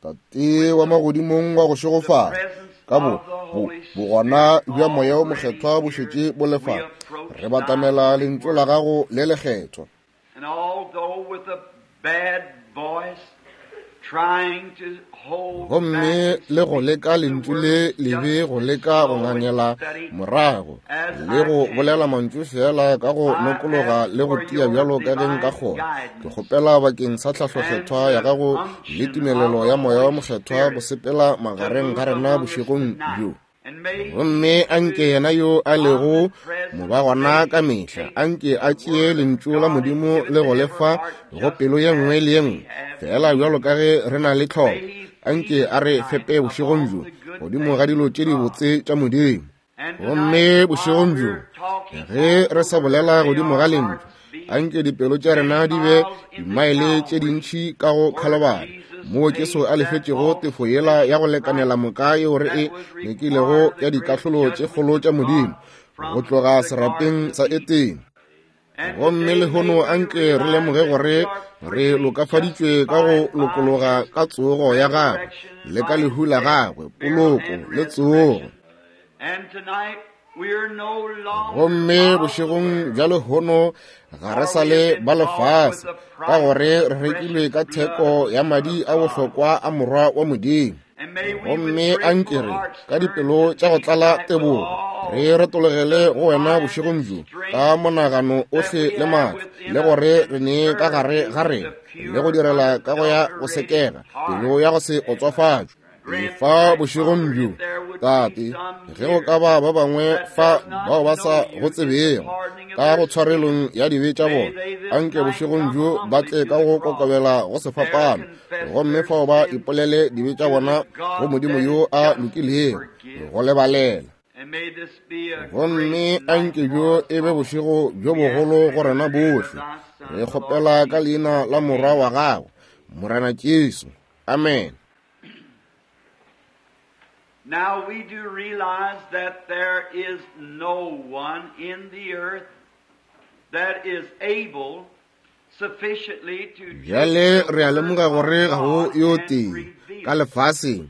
Tate wa magodimong wa go šegofala, ka bo, bo, bogona bja Moya wo Mokgethwa bo šetše bo le fa, re batamela Lentšu la Gago le lekgethwa. Gomme le go leka lentšu le lebe go leka go ngangela morago le go bolela mantšu feela ka go nokologa le go tia bjalo ka ge nka kgona, ke kgopela bakeng sa tlhahlokgethwa ya gago le tumelelo ya Moya wa Mokgethwa go sepela magareng ga rena bošegong bjo. Gomme a nke yena yo a lego mobagona ka mehla, a nke a tšee Lentšu la Modimo le go le fa go pelo ye nngwe le ye nngwe, feela bjalo ka ge re na le tlhoko. A nke a re fepe bošegong bjo godimo ga dilo tše dibotse tša Modimo. Gomme bošegong bjo, ge re sa bolela godimo ga Lentšu, a nke dipelo tša rena di be dimaele tše dintši ka go Khalabari, moo Jesu a lefetšego tefo yela ya go lekanela moka yeo re e nyakilego ya dikahlolo tše kgolo tša Modimo go tloga serapeng sa Etene. Gomme lehono a nke re lemoge gore re lokafaditšwe ka go lokologa ka tsogo ya gagwe le ka lehu la gagwe, poloko le tsogo. Gomme bošegong bja lehono ga re sa le ba lefase, ka gore re rekilwe ka theko ya madi a bohlokwa a Morwa wa Modimo. Gomme a nke re ka dipelo tša go tlala tebogo re retologele go wena bošegong bjo ka monagano ohle le maatla, le gore re nee ka gare ga rena le go direla ka go ya go sekega pelo ya go se otswafatšwe. Fa bošegong bjo, Tate, ge go ka ba ba bangwe fa bao ba sa go tsebego ka go tshwarelong ya dibe tša bona, anke bošegong bjo ba tle ka go kokobela go sefapano, gomme fao ba ipolele dibe tša bona go Modimo yo a lokilego go lebalela. Gomme anke bjo e be bošego bjo bogolo go rena bohle. Re kgopela ka leina la Morwa wa Gago, Morena Jesu. Amen. Now we do realize that there is no one in the earth that is able sufficiently to Bjale re a lemoga gore ga go yo tee ka lefaseng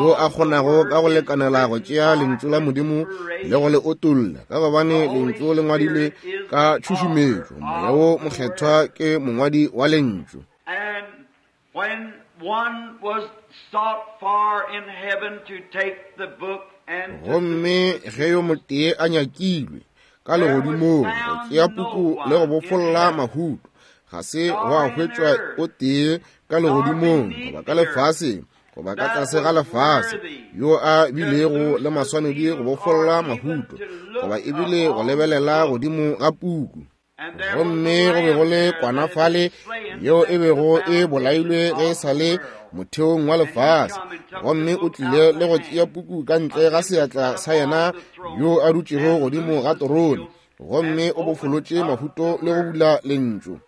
yo a kgonago ka go lekanela go tšea lentšu la Modimo le go le otolla, ka gobane lentšu le ngwadilwe ka tšhušumetšo. Moya wo Mokgethwa ke mongwadi wa lentšu. And when one was sought for in heaven to take the book and to Gomme ge yo motee a nyakilwe ka legodimong go tšea puku le go bofolla mahuto, ga se gwa hwetšwa o tee ka legodimong goba ka lefaseng goba ka tlase ga lefase yo a bilego le maswanedi go bofolla mahuto goba ebile go lebelela godimo ga puku. Gomme go be go le kwana fale yeo e bego e bolailwe ge e sa le motheong wa lefase, gomme o tlile le go tšea puku ka ntle ga seatla sa yena yo a dutšego godimo ga terone, gomme o bofolotše mahuto le go bula lentšu.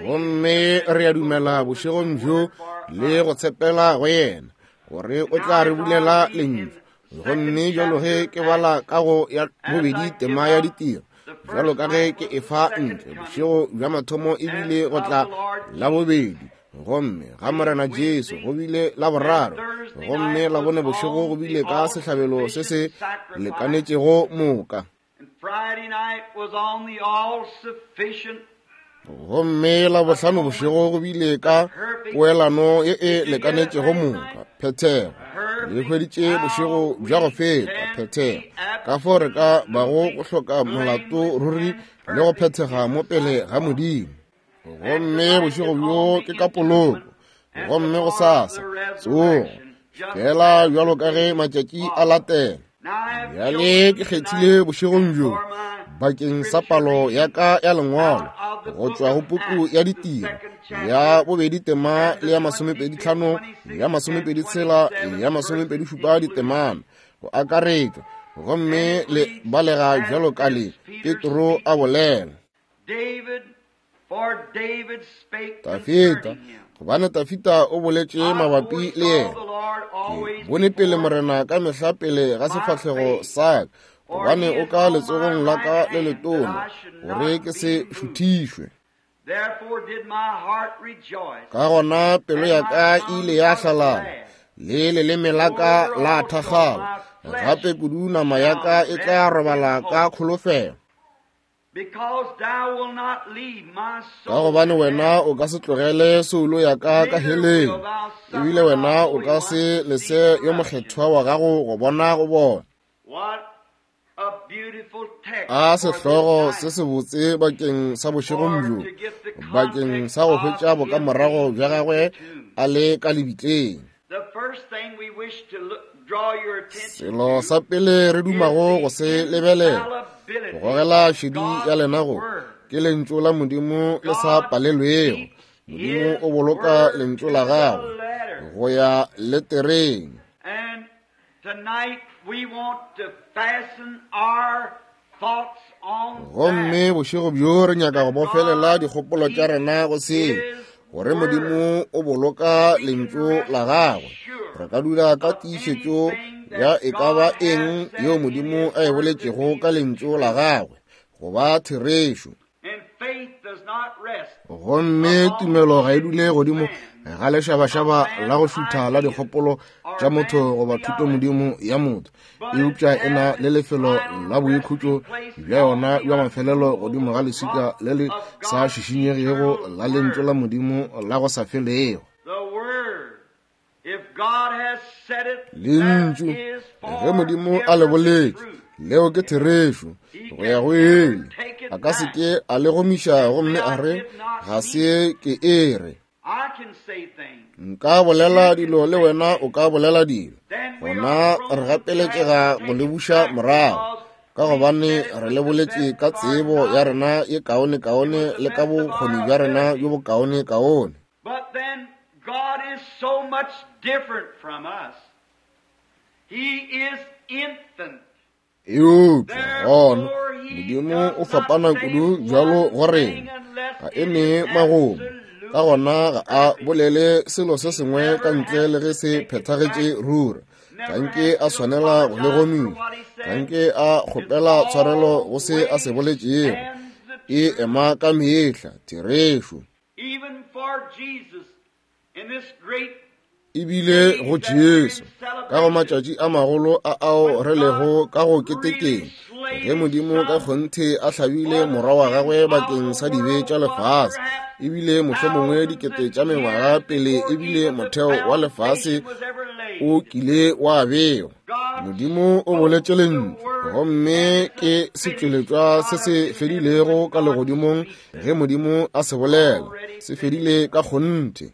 Gomme re a dumela bošegong bjo le go tshepela go yena gore o tla re bulela lentšu. Gomme bjalo ge ke bala ka go ya bobedi tema ya ditiro, bjalo ka ge ke e fa ntle bošego bja mathomo e bile go tla la bobedi, gomme ga Morena Jesu go bile la boraro, gomme la bone bošego go bile ka sehlabelo se se lekanetšego moka. Gomme Labohlano bošego go bile ka poelano ye e lekanetšego moka, phethego. Le hweditše bošego bja go feta, phethego. Ka fao re ka bago go hloka molato ruri le go phethega mo pele ga Modimo. Gomme bošego bjo ke ka poloko, gomme go sasa tsogo, fela bjalo ka ge matšatši a latela. Bjale ke kgethile bošegong bjo bakeng sa palo ya ka ya lengwalo go tšwa go puku ya ditiro ya bobedi tema le ya masomepeditlhano, ya masomepeditshela, ya masomepedishupa ditemana go akaretšwa, gomme le balega bjalo ka le Petro a bolela. Dafita, gobane Dafita o boletše mabapi le yena, ke bone pele Morena ka mehla pele ga sefahlego sa ka, gobane o ka letsogong la ka le letona, gore ke se šuthišwe. Ka gona pelo ya ka e ile ya hlalala, le leleme la ka la thakgala, gape kudu nama ya ka e tla robala ka kholofelo. Ka gobane wena o ka se tlogele soulo ya ka ka heleng, ebile wena o ka se lese yo mokgethwa wa gago go bona go bona. A sehlogo se sebotse bakeng sa bošegong bjo, bakeng sa go hwetša bokamorago bja gagwe a le ka lebitleng. Selo sa pele re dumago go se lebelela, go gogela šedi ya lena go, ke lentšu la Modimo le sa palelwego. Modimo o boloka lentšu la gagwe go ya letereng. Gomme bošego bjo re nyaka go bofelela dikgopolo tša rena go seo, gore Modimo o boloka lentšu la gagwe. Re ka dula ka tiišetšo ya e ka ba eng yeo Modimo a e boletšego ka lentšu la gagwe go ba therešo. Gomme tumelo ga e dule godimo ga lešabašaba la go šutha la dikgopolo tša motho goba thutomodimo ya motho, eupša e na le lefelo la boikhutšo bja yona bja mafelelo godimo ga leswika le le sa šišinyegego la lentšu la Modimo la go sa felego. Lentšu, ge Modimo a le boletše, leo ke therešo go ya go ele. A ka se ke a le gomiša gomme a re, ga se ke e re. Nka bolela dilo le wena o ka bolela dilo. Gona re gapeletšega go le buša morago, ka gobane re le boletše ka tsebo ya rena ye kaone-kaone le ka bokgoni bja rena bjo bokaone-kaone. But then God is so much different from us. He is infinite. Eupša gona Modimo o fapana kudu bjalo go rena, ga e ne magomo, ka gona ga a bolele selo se sengwe ka ntle le ge se phethagetše ruri. Ga nke a swanela go le gomiša, ga nke a kgopela tshwarelo go se a se boletšego. E ema ka mehla, therešo. Ebile go Jesu, ka go matšatši a magolo a ao re lego ka go ketekeng, ge Modimo ka kgonthe a hlabile Morwa wa gagwe bakeng sa dibe tša lefase, ebile mohlomongwe dikete tša mengwaga pele ebile motheo wa lefase o kile wa bewa, Modimo o boletše lentšu, gomme ke setšweletšwa se se fedilego ka legodimong. Ge Modimo a se bolela, se fedile ka kgonthe.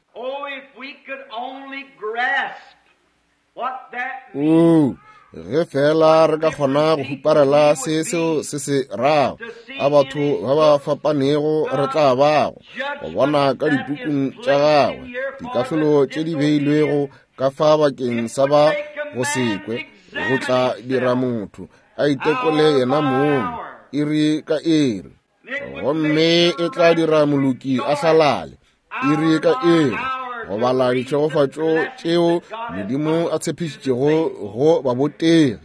Oo, ge fela re ka kgona go huparela se seo se se rago, a batho ba ba fapanego re tla bago go bona ka dipukung tša gagwe dikahlolo tše di beilwego ka fa bakeng sa ba go se kwe, go tla dira motho a itekole yena mong iri ka iri. Gomme e tla dira moloki a hlalale iri ka iri go bala ditšhegofatšo tšeo Modimo a tshepišitšego go babotegi.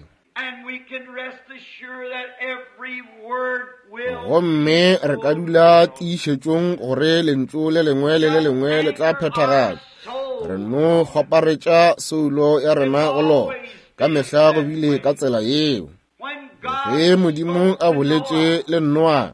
Gomme re ka dula tiišetšong gore lentšu le lengwe le le lengwe le tla phethagatšwa. Re no kgwaparetša soulo ya rena go lona. Ka mehla go bile ka tsela yeo. Ge Modimo a boletše le Noa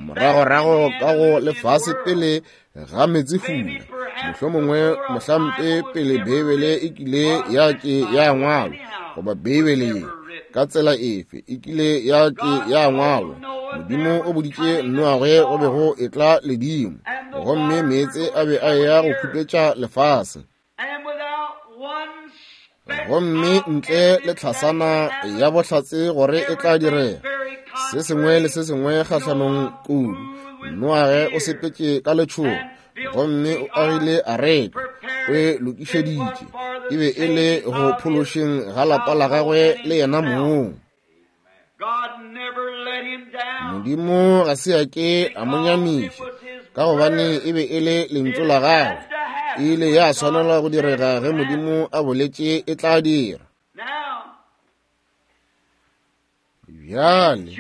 moragorago ka go lefase pele ga meetsefula, mohlomongwe mohlampe pele Beibele e kile ya ke ya ngwalwa, goba Beibele ye ka tsela efe e kile ya ke ya ngwalwa, Modimo o boditše Noage go be go etla ledimo, gomme meetse a be a eya go khupetša lefase. Gomme ntle le tlhasana ya bohlatse gore e tla direga, se sengwe le se sengwe kgahlanong kudu, Noage o sepetše ka letšhogo gomme o agile areka, o e lokišeditše, e be e le go phološeng ga lapa la gagwe le yena mong. Modimo ga se a ke a mo nyamiša, ka gobane e be e le lentšu la gagwe. E ile ya swanelwa go direga ge Modimo a boletše e tla dira. Bjale,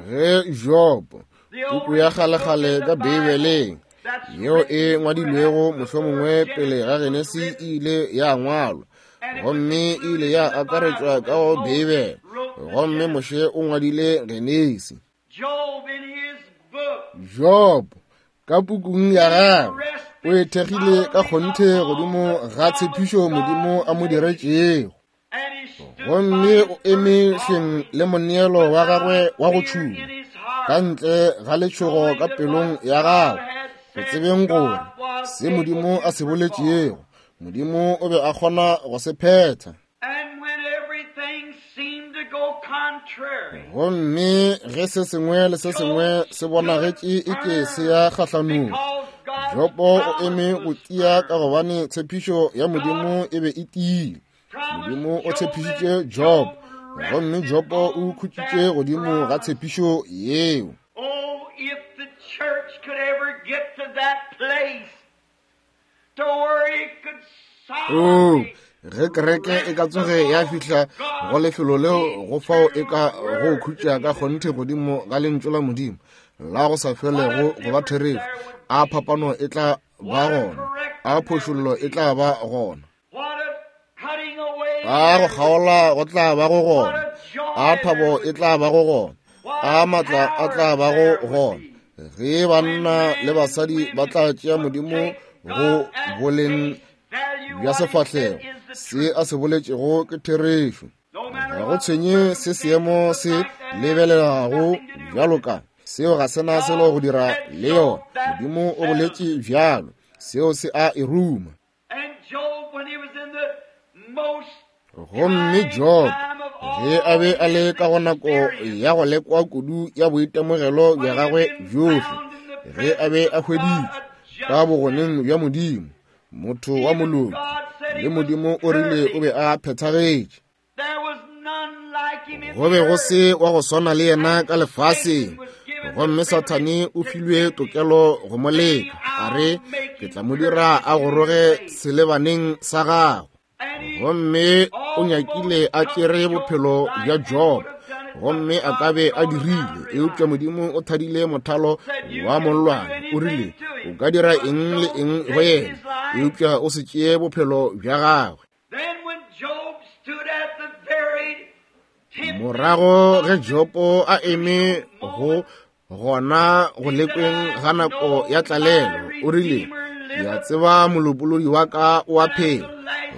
ge Jobo, puku ya kgalekgale ka Beibeleng, yeo e ngwadilwego mohlomongwe pele ga Genesi e ile ya ngwalwa, gomme e ile ya akaretšwa ka go Beibele, gomme Moshe o ngwadile Genesi. Job ka pukung ya gagwe o e thekgile ka kgonthe godimo ga tshepišo Modimo a mo diretšego, gomme o eme hleng le moneelo wa gagwe wa go tšhuma ka ntle ga letšhogo ka pelong ya gagwe, go tsebeng gore se Modimo a se boletšego, Modimo o be a kgona go se phetha. Gomme ge se sengwe le se sengwe se bonagetše e ke se ya kgahlanong, Jobo o eme go tia ka gobane tshepišo ya Modimo e be e tiile. Modimo o tshepišitše Job, gomme Jobo o khutšitše godimo ga tshepišo yeo. Oh, if the church could ever get to that place to where it could Oh, ge kereke e ka tsoge ya fihla go lefelo leo go fao e ka go khutša ka kgonthe godimo ga lentšu la Modimo la go sa felego go ba therešo, a phapano e tla ba gona, a phošollo e tla ba gona, a go kgaola go tla ba go gona, a thabo e tla ba go gona, a matla a tla ba go gona, ge banna le basadi ba tla tšea Modimo go boleng bja sefahlego, se a se boletšego ke therešo. Ga go tshwenye se seemo se lebelelago bjalo ka seo, ga sena selo go dira le yona. Modimo o boletše bjalo, seo se a e ruma. Gomme Job, ge a be a le ka go nako ya go lekwa kudu ya boitemogelo bja gagwe bjohle, ge a be a hweditšwe ka bogoneng bja Modimo, motho wa moloki, le Modimo o rile o be a phethagetše, go be go se wa go swana le yena ka lefaseng, gomme Sathane o filwe tokelo go mo leka, a re, ke tla mo dira a goroge selebaneng sa gago. Gomme o nyakile a tšere bophelo bja Job, gomme a ka be a dirile, eupša Modimo o thadile mothalo wa mollwane, o rile, o ka dira eng le eng go yena, eupša o se tšee bophelo bja gagwe. Morago ge Jobo a eme go gona go lekweng ga nako ya tlalelo, o rile, ke a tseba molopolodi wa ka o a phela,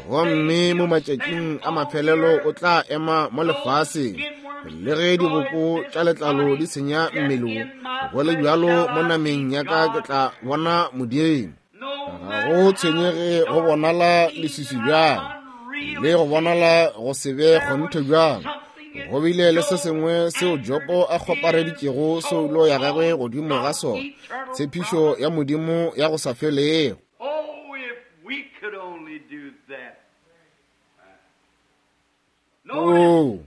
gomme mo matšatšing a mafelelo o tla ema mo lefaseng. Le ge diboko tša letlalo di senya mmele wo, go le bjalo mo nameng ya ka ke tla bona Modimo. Ga go tshwenyege go bonala leswiswi bjang, le go bonala go se be kgonthe bjang, go bile le se sengwe seo Jobo a kgopareditšego soulo ya gagwe godimo ga sona, tshepišo ya Modimo ya go sa felego. Oh, if we could only do that. Oo,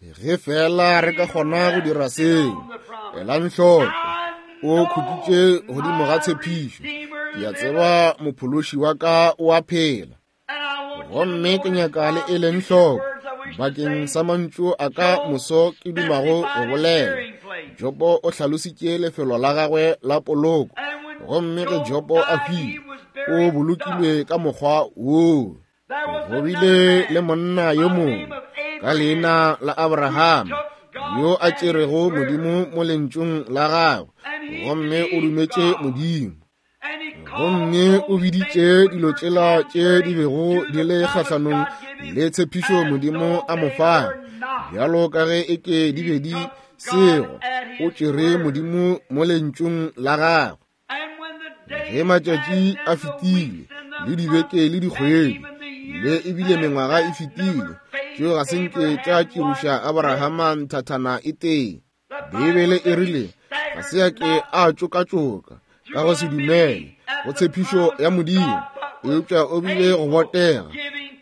ge fela re ka kgona go dira seo. Elang hloko, o khutšitše godimo ga tshepišo. Ke a tseba mophološi wa ka o a phela, gomme ke nyaka le e leng hloko bakeng sa mantšu a ka moso ke dumago go bolela. Jobo o hlalositše lefelo la gagwe la poloko, gomme ge Jobo a hwile, o bolokilwe ka mokgwa woo. Go bile le monna yo mongwe ka leina la Abrahama yo a tšerego Modimo mo lentšung la gagwe, gomme o dumetše Modimo, gomme o biditše dilo tšela tše di bego di le kgahlanong le tshepišo Modimo a mo fago, bjalo ka ge e ke di be di sego. O tšere Modimo mo lentšung la gagwe. Ge matšatši a fetile, le dibeke le dikgwedi, le ebile mengwaga e fetile, tšeo ga se nke tša tširoša Abrahama nthathana e tee. Beibele e rile ga se ya ke a tšokatšoka ka go se dumele go tshepišo ya Modimo, eupša o bile go botega,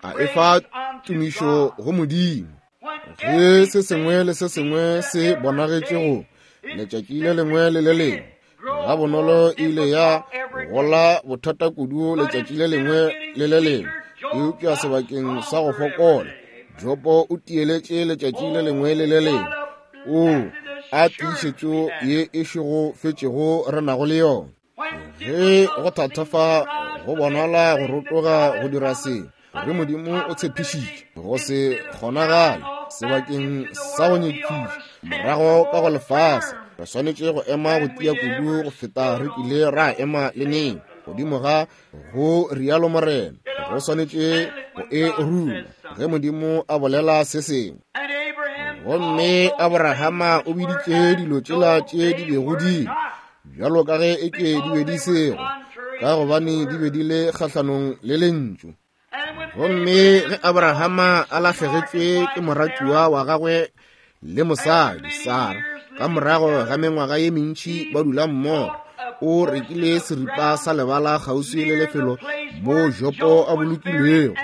a efa tumišo go Modimo. Ge se sengwe le se sengwe se bonagetše go letšatši le lengwe le le lengwe, ga bonolo e ile ya gola bothata kudu letšatši le lengwe le le lengwe, eupša sebakeng sa go fokola, Jobo o tieletše letšatši le lengwe le le lengwe. O a tiišetšo ye e šegofetšego re nago le yona. Ge go thatafa go bonala go rotoga go dira sengwe, gore Modimo o tshepišitše go se kgonagale sebakeng sa go nyekiša morago ka go lefase, re swanetše go ema go tia kudu go feta re kile ra ema le neng. Godimo ga go rialo Morena, go swanetše go e ruma ge Modimo a bolela se sengwe. Gomme Abrahama o biditše dilo tšela tše di bego di bjalo ka ge eke di be di sego, ka gobane di be di le kgahlanong le lentšu. Gomme ge Abrahama a lahlegetšwe ke moratiwa wa gagwe le mosadi Sara, ka morago ga mengwaga ye mentši ba dula mmogo, o rekile seripa sa lebala kgauswi le lefelo mo Jopo a bolokilwego,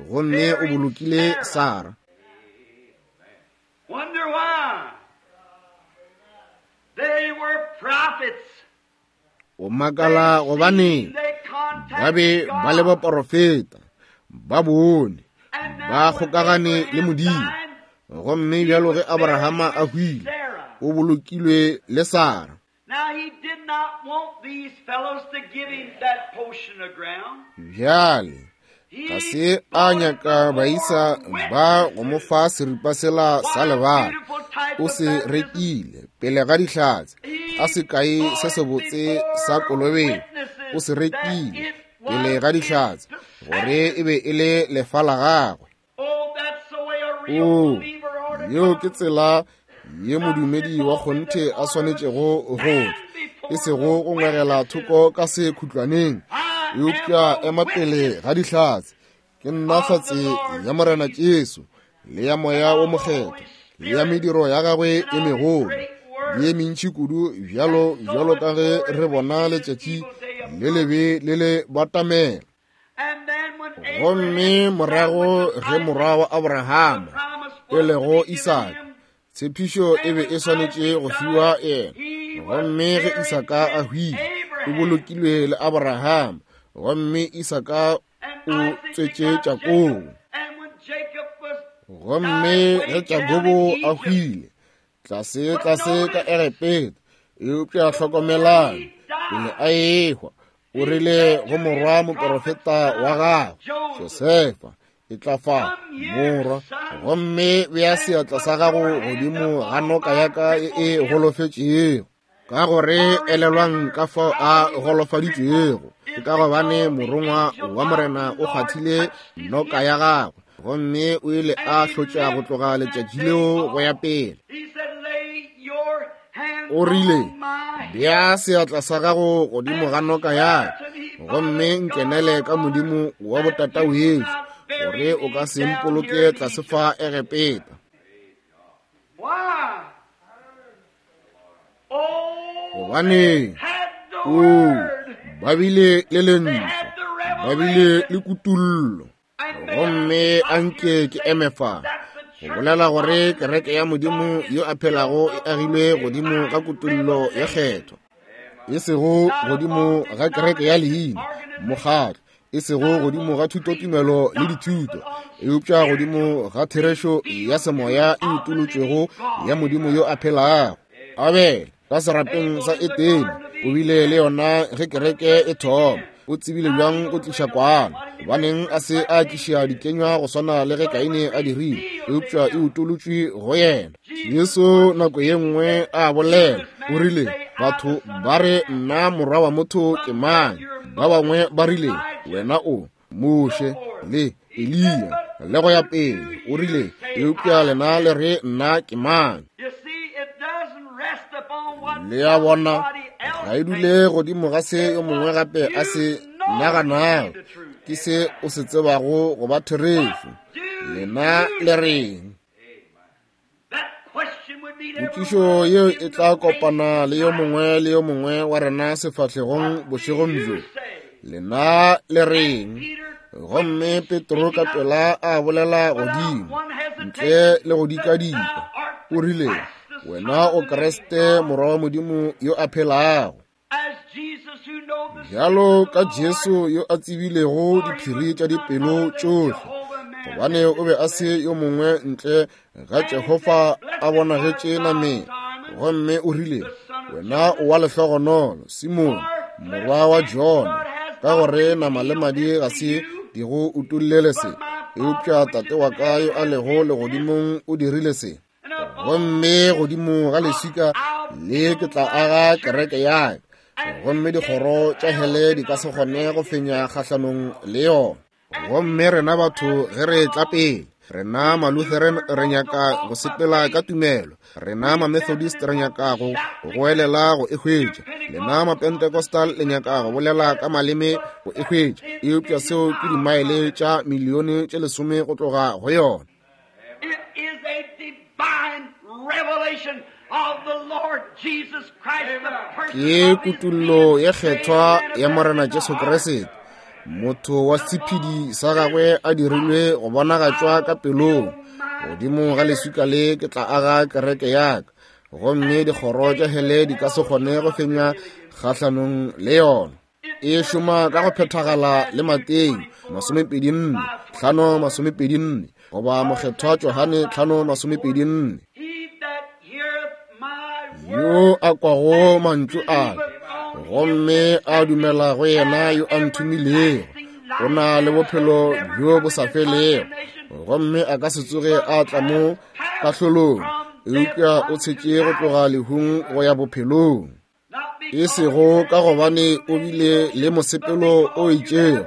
gomme o bolokile Sara. Wonder why. They were prophets. O makala gobane ba be ba le baporofeta, ba bone, ba kgokagane le Modimo. Gomme bjalo ge Abrahama a hwile, o bolokilwe le Sara. Now he did not want these fellows to give him that portion of ground. Bjale ga se a nyaka baisa ba go mo fa seripa sela sa lebala. O se rekile pele ga dihlatse, a sekai se sebotse sa kolobetšo. O se rekile pele ga dihlatse gore e be e le lefa la gagwe. Oh, O, yeo ke tsela ye modumedi wa kgonthe a swanetšego go tla, e sego go ngwegela thoko ka sekhutlwaneng, eupša ema pele ga dihlatse. Ke nna hlatse ya Morena Jesu, le ya Moya wo Mokgethwa, le ya mediro ya gagwe e megolo le ye mentši kudu, bjalo bjalo ka ge re bona letšatši le lebe le le batamela. Gomme morago ge morwa wa Abrahama e lego Isaka, tshepišo e be e swanetše go fiwa yena. Gomme ge Isaka a hwile, o bolokilwe le Abrahama, gomme Isaka o tswetše Jakobo. Gomme ge Jakobo a hwile, tlase tlase ka Egepeta, eupša hlokomelang, pele a ehwa, o rile go morwa moporofeta wa gagwe Josefa, e tla fa morwa, gomme bea seatla sa gago godimo ga noka ya ka e e golofetšego. Ka gore elelwang ka fao a golofaditšwego, ke ka gobane morongwa wa Morena o kgwathile noka ya gagwe, gomme o ile a hlotša go tloga letšatši leo go ya pele. O rile, bea seatla sa gago godimo ga noka ya ka, gomme nkenele ka Modimo wa botata wešo, gore o ka se mpoloke tlase fa Egepeta. Gobane o ba bile le lentšu, ba bile le kutullo. Gomme anke ke eme fa go bolela gore kereke ya Modimo yo a phelago e agilwe godimo ga kutullo ya kgetho, e sego godimo ga kereke ya leina, mokgatlo, e sego godimo ga thutotumelo le dithuto, eupša godimo ga therešo ya semoya e utolotšwego ya Modimo yo a phelago. Abele ka serapeng sa Edene o bile le yona ge kereke e thoma. O tsebile bjang go tliša kwana? Gobaneng a se a tliša dikenywa go swana le ge Kaine a dirile, eupša e utolotšwe go yena. Jesu nako ye nngwe a bolela, o rile, batho ba re nna morwa wa motho ke mang? Ba bangwe ba rile, wena o Moshe le Eliya le go ya pele. O rile, eupša lena le re nna ke mang? Le a bona, ga e dule godimo ga se yo mongwe gape a se naganago, ke se o se tsebago go ba therešo. Lena le reng? Potšišo yeo e tla kopana le yo mongwe le yo mongwe wa rena sefahlegong bošegong bjo. Lena le reng? Gomme Petro ka pela a bolela godimo, ntle le go dikadika, o rile, wena o Kriste, morwa wa Modimo yo a phelago. Bjalo ka Jesu yo a tsebilego diphiri tša dipelo tšohle, gobane o be a se yo mongwe ntle ga Jehofa a bonagetše nameng. Gomme o rile, wena o wa lehlogonolo, Simone, morwa wa Jona, ka gore nama le madi ga se di go utollele se, eupša Tate wa ka yo a lego legodimong o dirile se. Gomme godimo ga leswika le ke tla aga kereke ya ka, gomme dikgoro tša hele di ka se kgone go fenya kgahlanong le yona. Gomme rena batho ge re tla pele, rena Malutheran re nyaka go sepela ka tumelo, rena Mamethodist re nyaka go goelela go e hwetša, lena Mapentecostal le nyaka go bolela ka maleme go e hwetša, eupša seo ke dimaele tša milione tše 10 go tloga go yona. It is a divine revelation of the Lord Jesus Christ, the person Ke kutullo ye kgethwa ya Morena Jesu Kriste, motho wa sephedi sa gagwe a dirilwe go bonagatšwa ka pelong. Godimo ga leswika le ke tla aga kereke ya ka, gomme dikgoro tša hele di ka se kgone go fenya kgahlanong le yona. E šoma ka go phethagala le Mateo 24, 5:24, goba Mokgethwa Johane 5:24. He that heareth my Yo a kwago mantšu a ka, gomme a dumela go yena yo a nthomilego, o na le bophelo bjo bo sa felego, gomme a ka se tsoge a tla mo kahlolong, eupša o tshetše go tloga lehung go ya bophelong. E sego ka gobane o bile le mosepelo o itšego,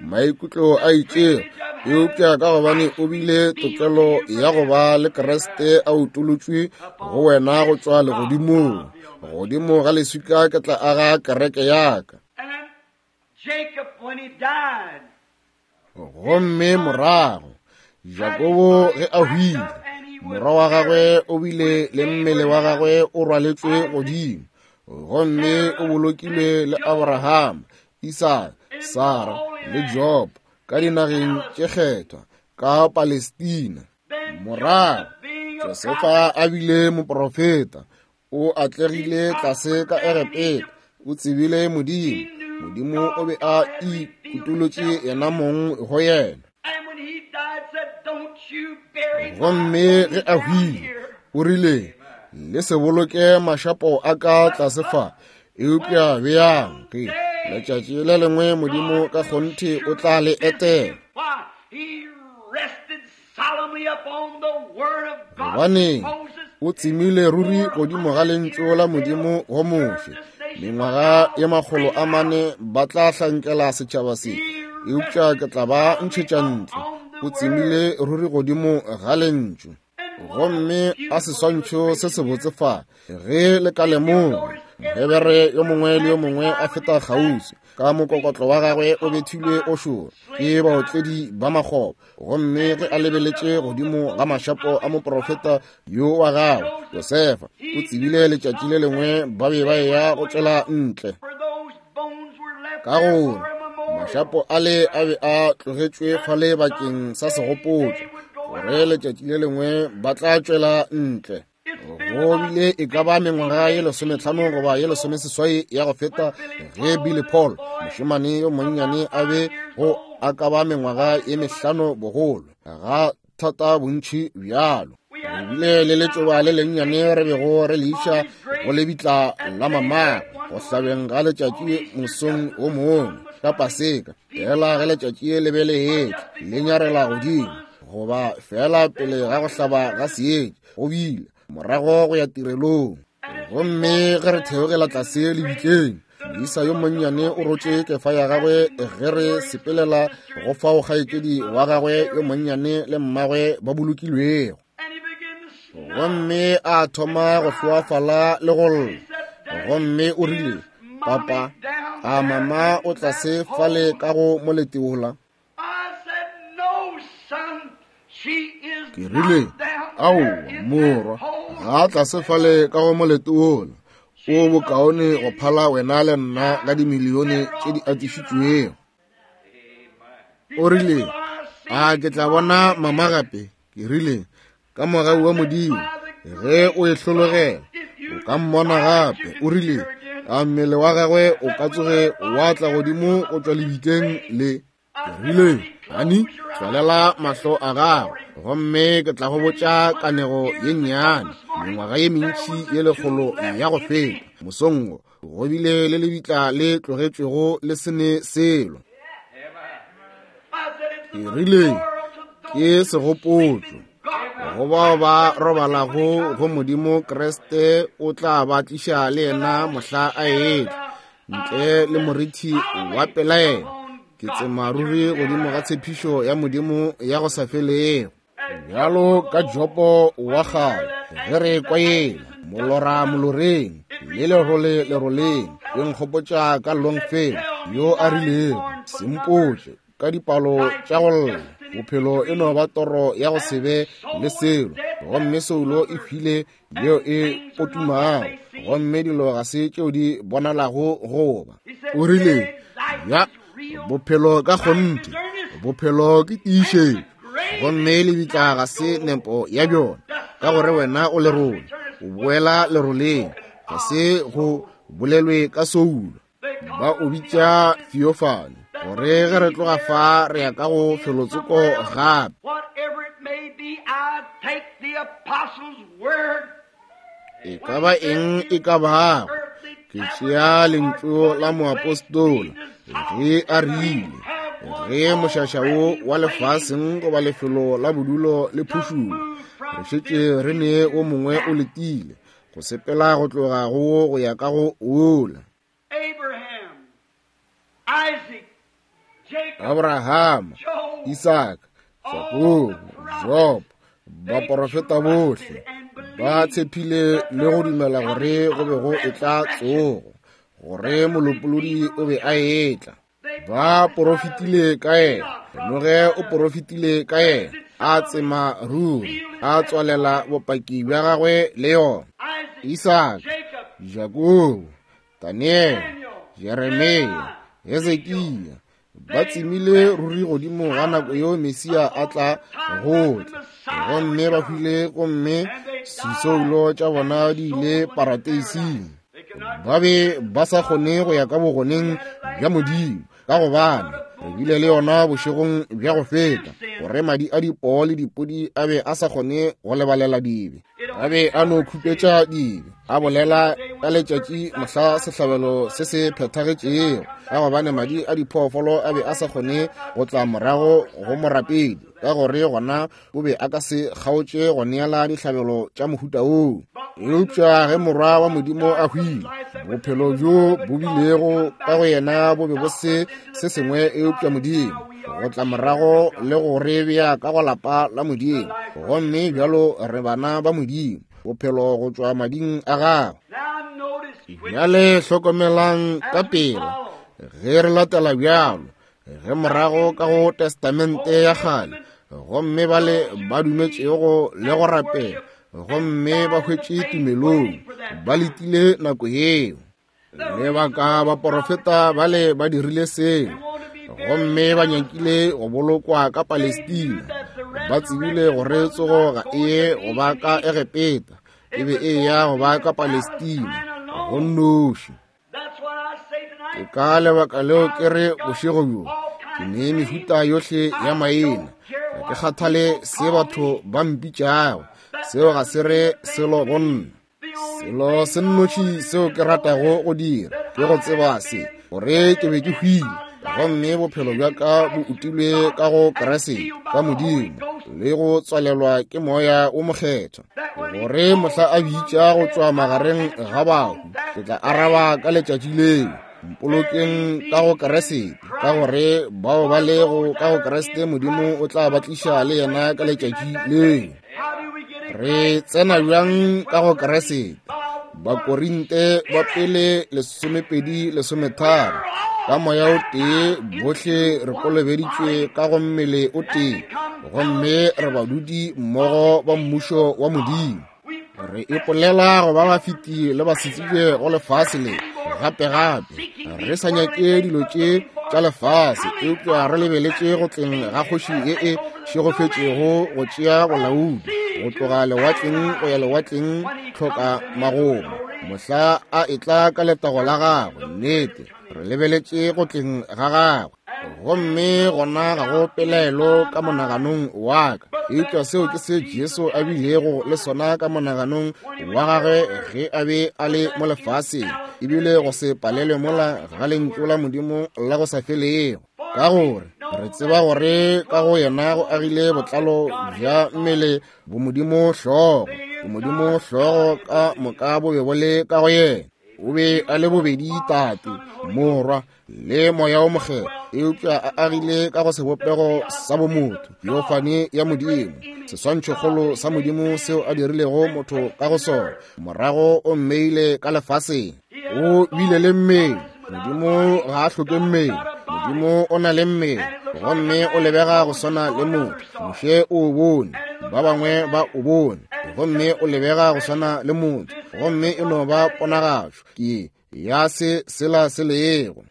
maikutlo a itšego, eupša ka gobane o bile tokelo ya go ba le Kriste a utolotšwe go wena go tšwa legodimong. Godimo ga leswika ke tla aga kereke ya ka. And Jacob, when he died, Gomme morago Jakobo ge a hwile, morwa wa gagwe o bile le mmele wa gagwe o rwaletšwe godimo, gomme o bolokilwe le Abraham, Isaka, Sara le Job ka dinageng tše kgethwa ka Palestina. Morago Josefa a bile moprofeta, o atlegile tlase ka Egepeta, o tsebile Modimo. Modimo o be a ikutolotše yena mong go yena. And when he died, said, Don't you bury my Gomme ge a down hwile, here. o rile, Le se boloke mašapo a ka tlase fa, eupša beang ge letšatši le lengwe Modimo ka kgonthe o tla le etela. Why? He rested solemnly upon the word of God. Gobane Moses o tsemile ruri godimo ga lentšu la Modimo go Moshe. Mengwaga ye 400 ba tla hlankela setšhaba se, eupša ke tla ba ntšhetša ntle. O tsemile ruri godimo ga lentšu. Gomme a seswantšho se sebotse fa, ge le ka lemoga, Mohebere yo mongwe le yo mongwe a feta kgauswi ka mokokotlo wa gagwe o bethilwe o šoro ke baotledi ba makgoba, gomme ge a lebeletše godimo ga mašapo a moprofeta yo wa gagwe Josefa, o tsebile letšatši le lengwe ba be ba eya go tšwela ntle, For those bones were left ka there gore for a memorial. mašapo ale a be a tlogetšwe fale bakeng sa segopotšo, gore letšatši le lengwe ba tla tšwela ntle. Go bile e ka ba mengwaga ye 15 goba ye 18 ya go feta ge Billy Paul, mošemane yo monnyane, a be go a ka ba mengwaga ye 5 bogolo, ga thata bontši bjalo. Re bile le letšoba le lennyane re bego re le iša go lebitla la mamagwe go hlabeng ga letšatši mosong o mongwe ka Paseka, fela ge letšatši le be le etla le nyarela godimo, goba fela pele ga go hlaba ga seetša, go bile morago go ya tirelong. Gomme ge re theogela tlase lebitleng, moisa yo monnyane o rotše kefa ya gagwe ge re sepelela go fao kgaetšedi wa gagwe yo monnyane le mmagwe ba bolokilwego. And he began to snarl. Gomme a thoma go hloafala le go lla. Gomme o rile, Papa, a mama o tlase fale ka go molete wola? I said, No, son, she is Ke rile, not down Aowa, there in morwa, that hole. ga a tlase fale ka go molete wola. O bokaone go phala wena le nna ka dimilione tše di atišitšwego. O rile, A ke tla bona mama gape? Ke rile, Ka mogau wa Modimo, ge o e hlologela, o ka mmona gape. O rile, A mmele wa gagwe o ka tsoge wa tla godimo go tšwa lebitleng le? Ke rile, Hani, tswalela mahlo a gago, gomme ke tla go botša kanego ye nnyane. Mengwaga ye mentši ye 100 ya go feta, mosong wo, go bile le lebitla le tlogetšwego le se ne selo. Ke rile, Ke segopotšo go bao ba robalago go Modimo. Kriste o tla ba tliša le yena mohla a etla, ntle le morithi wa pelaelo. Ke tsema ruri godimo ga tshepišo ya Modimo ya go sa felego. Bjalo ka Jopo wa kgale, ge re kwa yela molora moloreng le lerole leroleng, e nkgopotša ka Longfellow yo a rilego, Sempotše ka dipalo tša go lla, bophelo e no ba toro ya go se be le selo, gomme soulo e hwile yeo e potumago, gomme dilo ga se tšeo di bonalago go ba. O rile, Ya, bophelo ka kgonthe, bophelo ke tiišetšo, gomme lebitla ga se nepo ya bjona, ka gore wena o lerole, o boela leroleng. Ga se go bolelwe ka soulo. Ba o bitša theophany, gore ge re tloga fa re ya ka go felotsoko gape. E ka ba eng e ka bago, ke tšea lentšu la moapostola ge a rile, ge mošaša wo wa lefaseng goba lefelo la bodulo le phušulo, re šetše re ne o mongwe o letile go sepela go tloga go wo go ya ka go wola. Abrahama, Isaka, Jakobo, Job, baporofeta bohle ba tshepile le go dumela gore go be go etla tsogo, gore Molopolodi o be a etla. Ba porofetile ka yena, Noge o porofetile ka yena, a tsema ruri, a tswalela bopaki bja gagwe le yona. Isaka, Jakobo, Daniele, Jeremia, Hezekia, ba tsemile ruri godimo ga nako yeo Mesia a tla go tla, gomme ba hwile, gomme disoulo tša bona di ile parateising. Ba be ba sa kgone go ya ka bogoneng bja Modimo, ka gobane re bile le yona bošegong bja go feta, gore madi a dipoo le dipodi a be a sa kgone go lebalela dibe. A be a no khupetša dibe, a bolela ka letšatši mohla sehlabelo se se phethagetšego, ka gobane madi a diphoofolo a be a sa kgone go tla morago go morapedi, ka gore gona o be a ka se kgaotše go neela dihlabelo tša mohuta woo. Eupša ge Morwa wa Modimo a hwile, bophelo bjo bo bilego ka go yena bo be bo se se sengwe eupša Modimo, go tla morago le go re bea ka go lapa la Modimo, gomme bjalo re bana ba Modimo, bophelo go tšwa mading a gagwe. Bjale hlokomelang ka pela ge re latela bjalo, ge morago ka go Testamente ya Kgale, gomme bale ba dumetšego le go rapela, gomme ba hwetše tumelong, ba letile nako yeo. Lebaka baporofeta bale ba dirile seo, gomme ba nyakile go bolokwa ka Palestina. Ba tsebile gore tsogo ga e ye go ba ka Egepeta, e be e ya go ba ka Palestina, go nnoši. Ke ka lebaka leo ke re bošego bjo, ke ne mehuta yohle ya maina. Ga ke kgathale se batho ba mpitšago, seo ga se re selo go nna. Selo se nnoši seo ke ratago go dira ke go tseba se, gore ke be ke hwile, gomme bophelo bja ka bo utilwe ka go Kriste, ka Modimo, le go tswalelwa ke Moya wo Mokgethwa, gore mohla a bitša go tšwa magareng ga bahu, ke tla araba ka letšatši leo. Mpolokeng ka go Kriste, ka gore bao ba lego ka go Kriste Modimo o tla ba tliša le yena ka letšatši leo. Re tsena bjang ka go Kriste? Bakorinte ba pele 12:13, ka moya o tee bohle re kolobeditšwe ka go mmele o tee, gomme re badudi mmogo ba mmušo wa Modimo. Re ipolela go ba bafeti le basetsebje go lefase le, gape gape re sa nyake dilo tše tša lefase, eupša re lebeletše go tleng ga kgoši ye e šegofetšego go tšea bolaodi go tloga lewatleng go ya lewatleng, tlhoka magomo, mohla a etla ka letago la gagwe. Nnete, re lebeletše go tleng ga gagwe, gomme gona ga go pelaelo ka monaganong wa ka. Eupša seo ke se Jesu a bilego le sona ka monaganong wa gagwe ge a be a le mo lefaseng, ebile go se palelwe mola ga lentšu la Modimo la go sa felego. Ka gore re tseba gore ka go yena go agile botlalo bja mmele bomodimo hlogo, bomodimo hlogo ka moka bo be bo le ka go yena. O be a le bobedi Tate, Morwa le Moya o Mokgethwa, eupša a agile ka go sebopego sa bomotho, theophany ya Modimo, seswantšhokgolo sa Modimo seo a dirilego motho ka go sona. Morago o mmeile ka lefaseng. O bile le mmele. Modimo ga a hloke mmele. Modimo o na le mmele, gomme o lebega go swana le motho. Moshe o bone, ba bangwe ba o bone, gomme o lebega go swana le motho, gomme e no ba ponagatšo ke ya se sela se lego.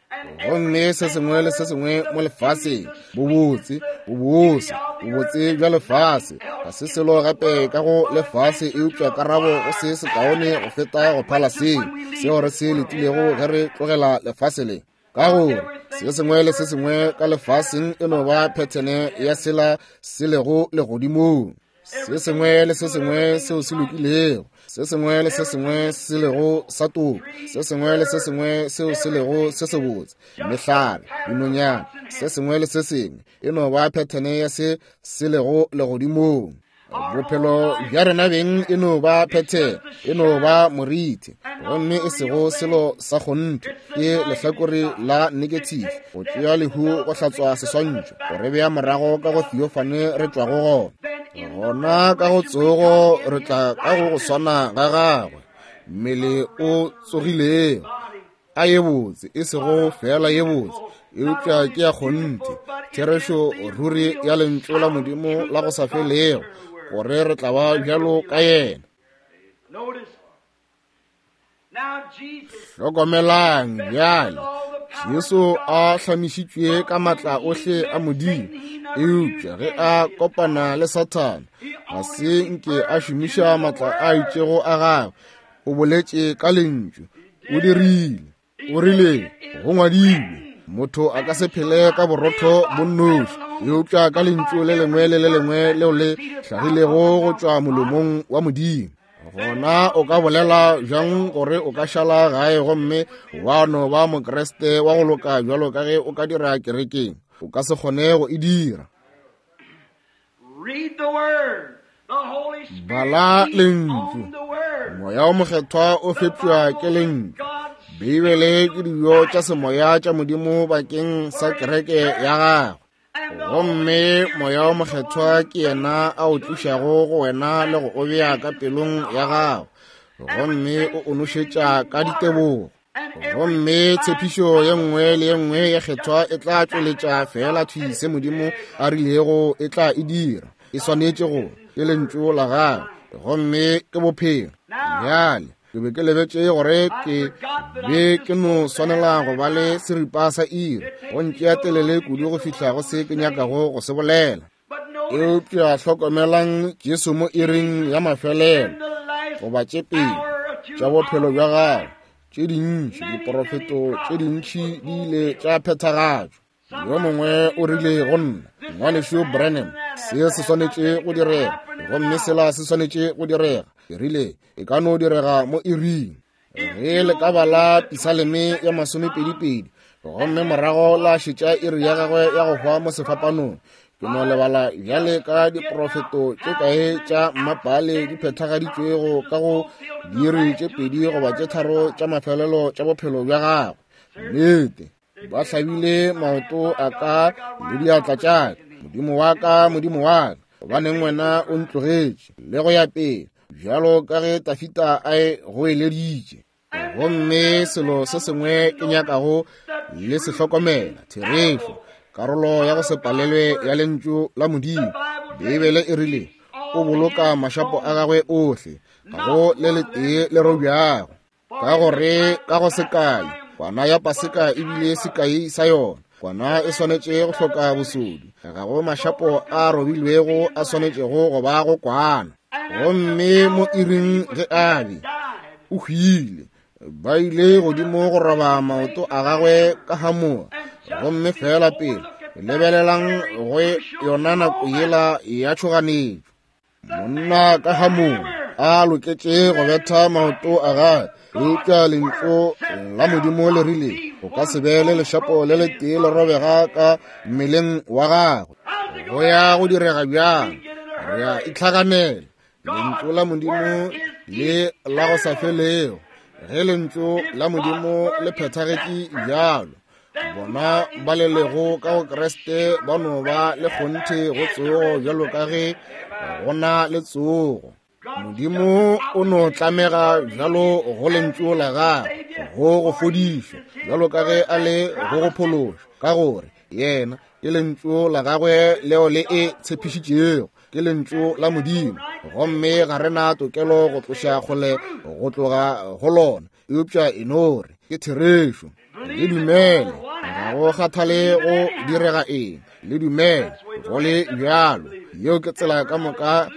Gomme se sengwe le se sengwe mo lefaseng, bobotse, bobose, bobotse bja lefase, ga se selo gape ka go lefase eupša karabo go se sekaone go feta go phala seo seo re se letilego ge re tlogela lefase le. Ka gore se sengwe le se sengwe ka lefaseng e no ba phethene ya sela se lego legodimong. Se sengwe le se sengwe seo se lokilego, se sengwe le se sengwe se lego sa toko, se sengwe le se sengwe seo se lego se sebotse, mehlare, dinonyana, se sengwe le se sengwe e no ba phethene ya se se lego legodimong. Bophelo bja rena beng e no ba phethene, e no ba moriti, gomme e sego selo sa kgonthe, ke lehlakore la negative, go tšea lehu go hlatswa seswantšho, go re bea morago ka go theophany re tšwago gona. Gona ka go tsogo re tla ka go go swana ga gagwe, mmele o tsogilego. A ye botse, e sego fela ye botse, eupša ke ya kgonthe, therešo ruri ya lentšu la Modimo la go sa felego, gore re tla ba bjalo ka yena. Hlokomelang bjale, Jesu a hlamišitšwe ka matla ohle a Modimo, eupša ge a kopana le Sathane, ga se nke a šomiša matla a itšego a gagwe. O boletše ka lentšu, o dirile, o rile, go ngwadilwe, motho a ka se phele ka borotho bo nnoši, eupša ka lentšu le lengwe le le lengwe leo le hlagilego go tšwa molomong wa Modimo. Gona o ka bolela bjang gore o ka šala gae gomme wa no ba Mokriste wa go loka bjalo ka ge o ka dira kerekeng? O ka se kgone go e dira. Bala lentšu. Moya o Mokgethwa o fepšwa ke lentšu. Beibele ke dijo tša semoya tša Modimo bakeng sa kereke ya gagwe. Gomme Moya o Mokgethwa ke yena a o tlišago go wena le go o bea ka pelong ya gago, gomme o o nošetša ka ditebogo. Gomme tshepišo ye nngwe le ye nngwe ya kgethwa e tla tšweletša fela thwi se Modimo a rilego e tla e dira. E swanetše go ke lentšu la gagwe, gomme ke bophelo. Bjale ke be ke lebetše gore ke be ke no swanela go ba le seripa sa iri, go ntšea telele kudu go fihla go se ke nyakago go se bolela. Eupša hlokomelang Jesu mo iring ya mafelelo, goba tše pedi tša bophelo bja gagwe, tše dintši diporofeto tše dintši di ile tša phethagatšwa. Yo mongwe o rile go nna, Ngwanešu Branham, se se swanetše go direga, gomme sela se swanetše go direga. Ke rile, e ka no direga mo iring. Ge le ka bala Pisaleme ya 22, gomme morago la šetša iri ya gagwe ya go hwa mo sefapanong, ke no lebala bjale ka diprofeto tše kae tša mmapale di phethagaditšwego ka go diiri tše 2 goba tše 3 tša mafelelo tša bophelo bja gagwe. Nnete. Ba hlabile maoto a ka le diatla tša ka. Modimo wa ka, Modimo wa ka, gobaneng wena o ntlogetše? Le go ya pele, bjalo ka ge Tafita a e goeleditše. Gomme selo se sengwe ke nyakago le se hlokomela, therešo, karolo ya go se palelwe ya lentšu la Modimo. Beibele e rile, o boloka mašapo a gagwe ohle, ga go le letee le robjago. Ka gore ka go sekai, kwana ya Paseka e bile sekai sa yona. Kwana e swanetše go hloka bosodi, ga go mašapo a robilwego a swanetšego go ba go kwana. Gomme mo iring ge a be o hwile, ba ile godimo go roba maoto a gagwe ka hamoa, gomme fela pele Lebelelang go yona nako yela ya tšhoganetšo. Monna ka hamong a loketše go betha maoto a gagwe, eupša lentšu la Modimo le rile go ka se be le lešapo le letee le robega ka mmeleng wa gagwe. Go ya go direga bjang? Re a itlhaganela. Lentšu la Modimo le la go sa felego. Ge lentšu la Modimo le phethagetše bjalo, bona ba le lego ka go Kriste ba no ba le kgonthe go tsogo bjalo ka ge go na le tsogo. Modimo o no tlamega bjalo go lentšu la gagwe go go fodiša bjalo ka ge a le go go phološa, ka gore yena ke lentšu la gagwe leo le e tshepišitšego, ke lentšu la Modimo, gomme ga re na tokelo go tloša kgole go tloga go lona, eupša e no re ke therešo. Le dumele, ga go kgathale go direga eng, le dumele go le bjalo. Yeo ke tsela ka moka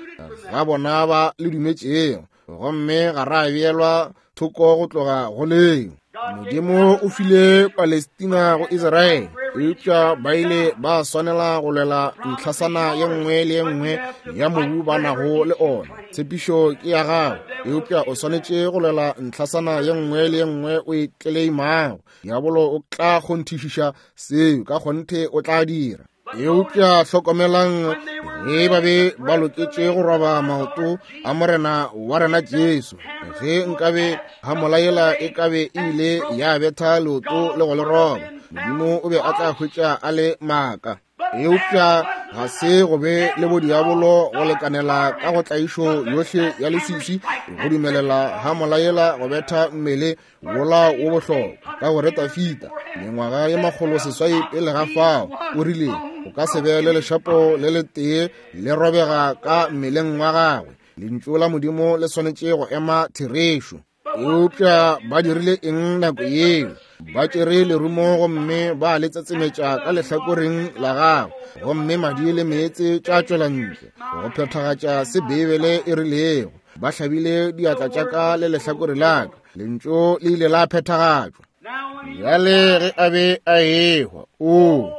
ga bona ba le dumetšego, gomme ga ra beelwa thoko go tloga go leo. Modimo o file Palestina go Israele, eupša ba ile ba swanela go lwela ntlhasana ye nngwe le ye nngwe ya mobu ba nago le ona. Tshepišo ke ya gago, eupša o swanetše go lwela ntlhasana ye nngwe le ye nngwe o e tleleimago. Diabolo o tla kgonthišiša seo, ka kgonthe o tla dira. Eupša hlokomelang, ge ba be ba loketše go roba maoto a Morena wa rena Jesu, ge nkabe hamola yela e kabe e ile ya betha leoto le go le roba, Modimo o be a tla hwetša a le maaka. Eupša ga se go be le bodiabolo go lekanela ka go tlaišo yohle ya leswiswi go dumelela hamola yela go betha mmele wola wo bohlokwa, ka gore Dafida mengwaga ye 800 pele ga fao o rile o ka se be le lešapo le letee le robega ka mmeleng wa gagwe. Lentšu la Modimo le swanetše go ema therešo. Eupša ba dirile eng nako yeo? Ba tšere lerumo gomme ba le tsetsemetša ka lehlakoreng la gagwe, gomme madi le meetse tša tšwela ntle go phethagatša se Beibele e rilego. Ba hlabile diatla tša ka le lehlakore la ka. Lentšu le ile la phethagatšwa. Bjale ge a be a ehwa, o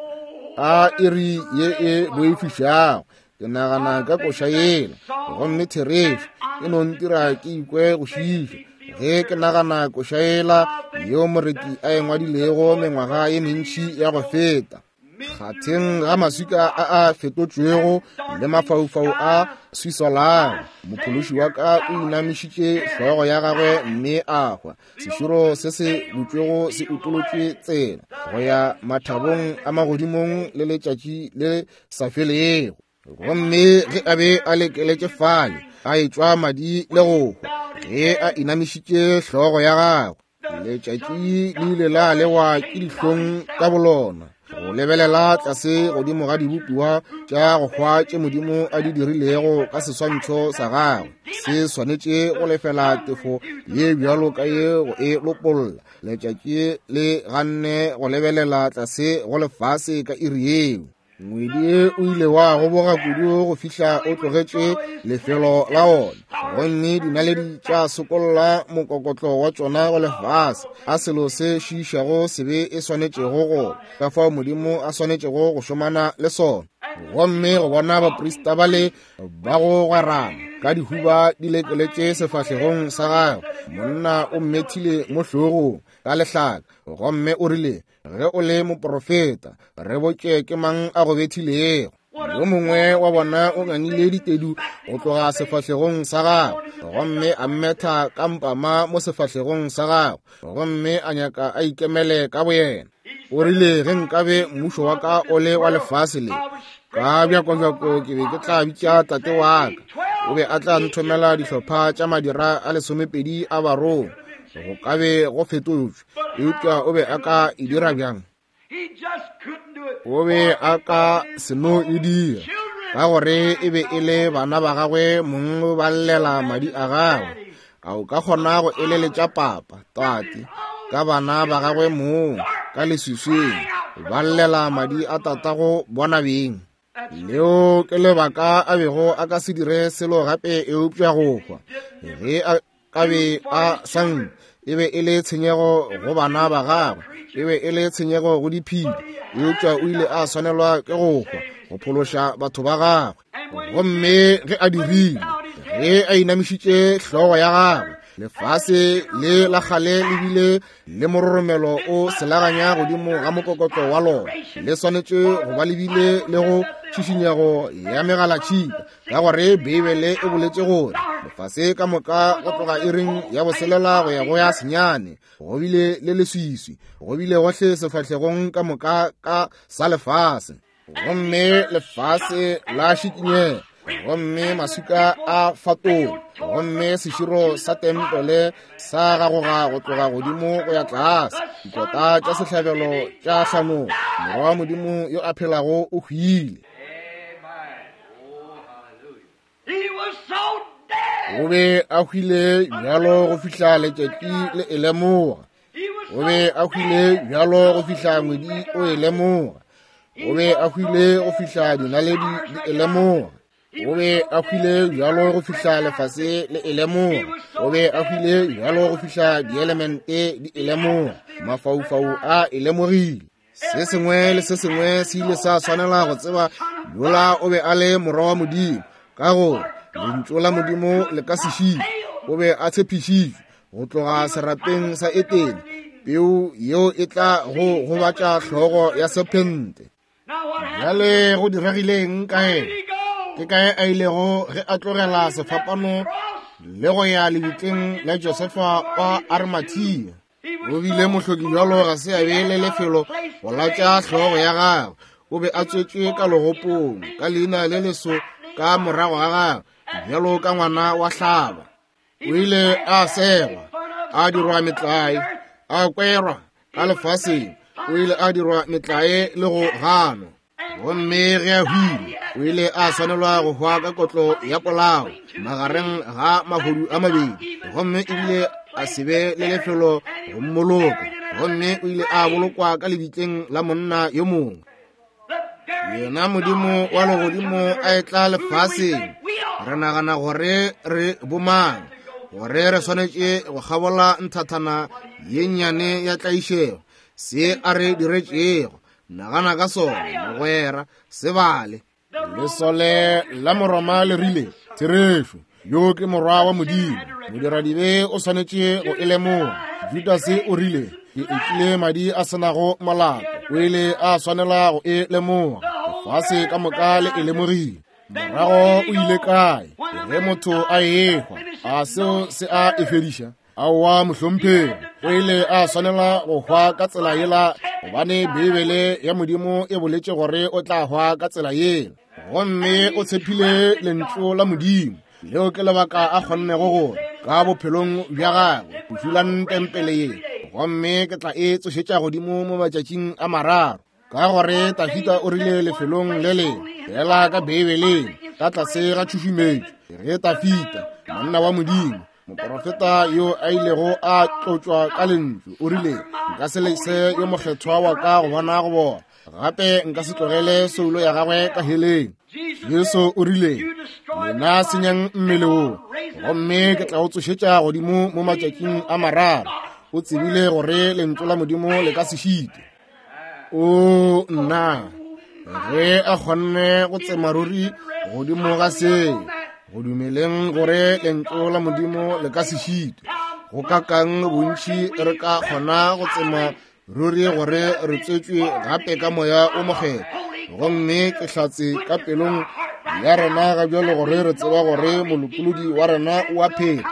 a iri ye e boifišago. Ke nagana ka koša yela, gomme therešo e no ntira ke ikwe go šiiša ge ke nagana koša yela yeo moreti a e ngwadilego mengwaga ye mentši ya go feta. Kgatheng ga maswika a a fetotšwego le mafaufau a swiswalago, mophološi wa ka o inamišitše hlogo ya gagwe mme a hwa. Seširo se se butšwego se utolotšwe tsela go ya mathabong a magodimong le letšatši le sa felego. Gomme ge a be a lekeletše fale, a etšwa madi le go hwa, ge a inamišitše hlogo ya gagwe, letšatši le ile la lewa ke dihlong ka bolona go lebelela tlase godimo ga dibopiwa tša go hwa tše Modimo a di dirilego ka seswantšho sa gagwe. Se swanetše go lefela tefo ye bjalo ka ye go e lopolla. Letšatši le ganne go lebelela tlase go lefase ka iri yeo. Ngwedi o ile wa goboga kudu go fihla o tlogetše lefelo la ona, gomme dinaledi tša sokolla mokokotlo wa tšona go lefase. A selo se šiišago sebe e swanetšego go ka fao Modimo a swanetšego go šomana le sona. Gomme go bona baprista bale ba go gwerana ka dihuba di lekeletše sefahlegong sa gagwe, monna o mmethile mo hlogong ka lehlaka, gomme o rile, Ge o le moprofeta, re botše ke mang a go bethilego. Yo mongwe wa bona o ngangile ditedu go tloga sefahlegong sa gagwe, gomme a mmetha ka mpama mo sefahlegong sa gagwe, gomme a nyaka a ikemele ka boyena. O rile, ge nkabe mmušo wa ka o le wa lefase le, ka bjakobjako ke be ke tla bitša tate wa ka, o be a tla nthomela dihlopha tša madira a 12 a barongwa. Go ka be go fetotšwe, eupša o be a ka e dira bjang? O be a ka se no e dira, ka gore e be e le bana ba gagwe mong ba llela madi a gagwe. A o ka kgona go eleletša papa, tate, ka bana ba gagwe mong ka leswiswing ba llela madi a tatago bona beng? Leo ke lebaka a bego a ka se dire selo gape eupša go hwa. Ge a ka be a sa nkwe, E be e le tshenyego go bana ba gagwe, e be e le tshenyego go diphedi, eupša o ile a swanelwa ke go hwa go phološa batho ba gagwe. Gomme ge a dirile, ge a inamišitše hlogo ya gagwe, lefase le la kgale le bile le mororomelo o selaganya godimo ga mokokotlo wa lona, le swanetše go ba le bile le go tšhišinyego ya megalatšhika, ka gore Beibele e boletše gore lefase ka moka go tloga iring ya boselela go ya go ya senyane go bile le leswiswi, go bile gohle sefahlegong ka moka ka sa lefase. Gomme lefase la šikinyega, gomme maswika a fatoga, gomme seširo sa tempele sa gagoga go tloga godimo go ya tlase, dikota tša sehlabelo tša hlanoga. Morwa wa Modimo yo a phelago o hwile. O be a hwile bjalo go fihla letšatši le e lemoga. O be a hwile bjalo go fihla ngwedi o e lemoga. O be a hwile go fihla dinaledi di e lemoga. O be a hwile bjalo go fihla lefase le e lemoga. O be a hwile bjalo go fihla dielemente di e lemoga. Mafaufau a e lemogile. Se sengwe le se sengwe se ile sa swanela go tseba yola o be a le morwa wa Modimo, ka gore lentšu la Modimo le ka se šitwe. O be a tshepišitšwe go tloga serapeng sa Etene, peu yeo e tla go gobatša hlogo ya sephente. Bjale go diregileng ka yena? Ke kae a ilego ge a tlogela sefapano le go ya lebitleng la Josefa wa Arimathea? O bile mohloki bjalo ga se a be le lefelo go latša hlogo ya gagwe. O be a tswetšwe ka legopong ka leina le leso ka morago ga gagwe, bjalo ka ngwana wa hlaba. O ile a segwa, a dirwa metlae, a kwerwa ka lefaseng. O ile a dirwa metlae le go ganwa. Gomme ge a hwile, o ile a swanelwa go hwa ka kotlo ya polao magareng ga mahodu a mabedi, gomme ebile a se be le lefelo go mmoloka. Gomme o ile a bolokwa ka lebitleng la monna yo mongwe. Yena Modimo wa legodimo a etla lefaseng. Re nagana gore re bomang, gore re swanetše go kgabola nthathana ye nnyane ya tlaišego, se a re diretšego. Nagana ka sona, mogwera, se bale. Lesole la Moroma le rile, Therešo, yo ke morwa wa Modimo. Modiradibe o swanetše go e lemoga. Judase o rile, Ke ekile madi a se nago molato. O ile a swanela go e lemoga. Lefase ka moka le e lemogile. Morago o ile kae? Ge motho a ehwa, a seo se a e fediša? Aowa, mohlomphegi, o ile a swanela go hwa ka tsela yela, gobane Beibele ya Modimo e boletše gore o tla hwa ka tsela yela. Gomme o tshephile lentšu la Modimo. Leo ke lebaka a kgonnego gore ka bophelong bja gagwe go dulang tempele ye, gomme ke tla e tsošetša godimo mo matšatšing a mararo. Ka gore Dafida o rile lefelong le lengwe fela ka Beibeleng, ka tlase ga tšhušumetšo, ge Dafida, monna wa Modimo, moprofeta yo a ilego a tlotšwa ka lentšu, o rile, Nka se lese yo mokgethwa wa ka go bona go bona, gape nka se tlogele soulo ya gagwe ka heleng. Jesu o rile, Lena senyang mmele wo, gomme ke tla o tsošetša godimo mo matšatšing a mararo. O tsebile gore lentšu la Modimo le ka se šitwe. O nna, ge a kgonne go tsema ruri godimo ga se, go dumeleng gore lentšu la Modimo le ka se šitwe, go kakang bontši re ka kgona go tsema ruri gore re tswetšwe gape ka Moya o Mokgethwa, gomme ke hlatse ka pelong ya rena ga bjalo gore re tseba gore Molopolodi wa rena o a phela,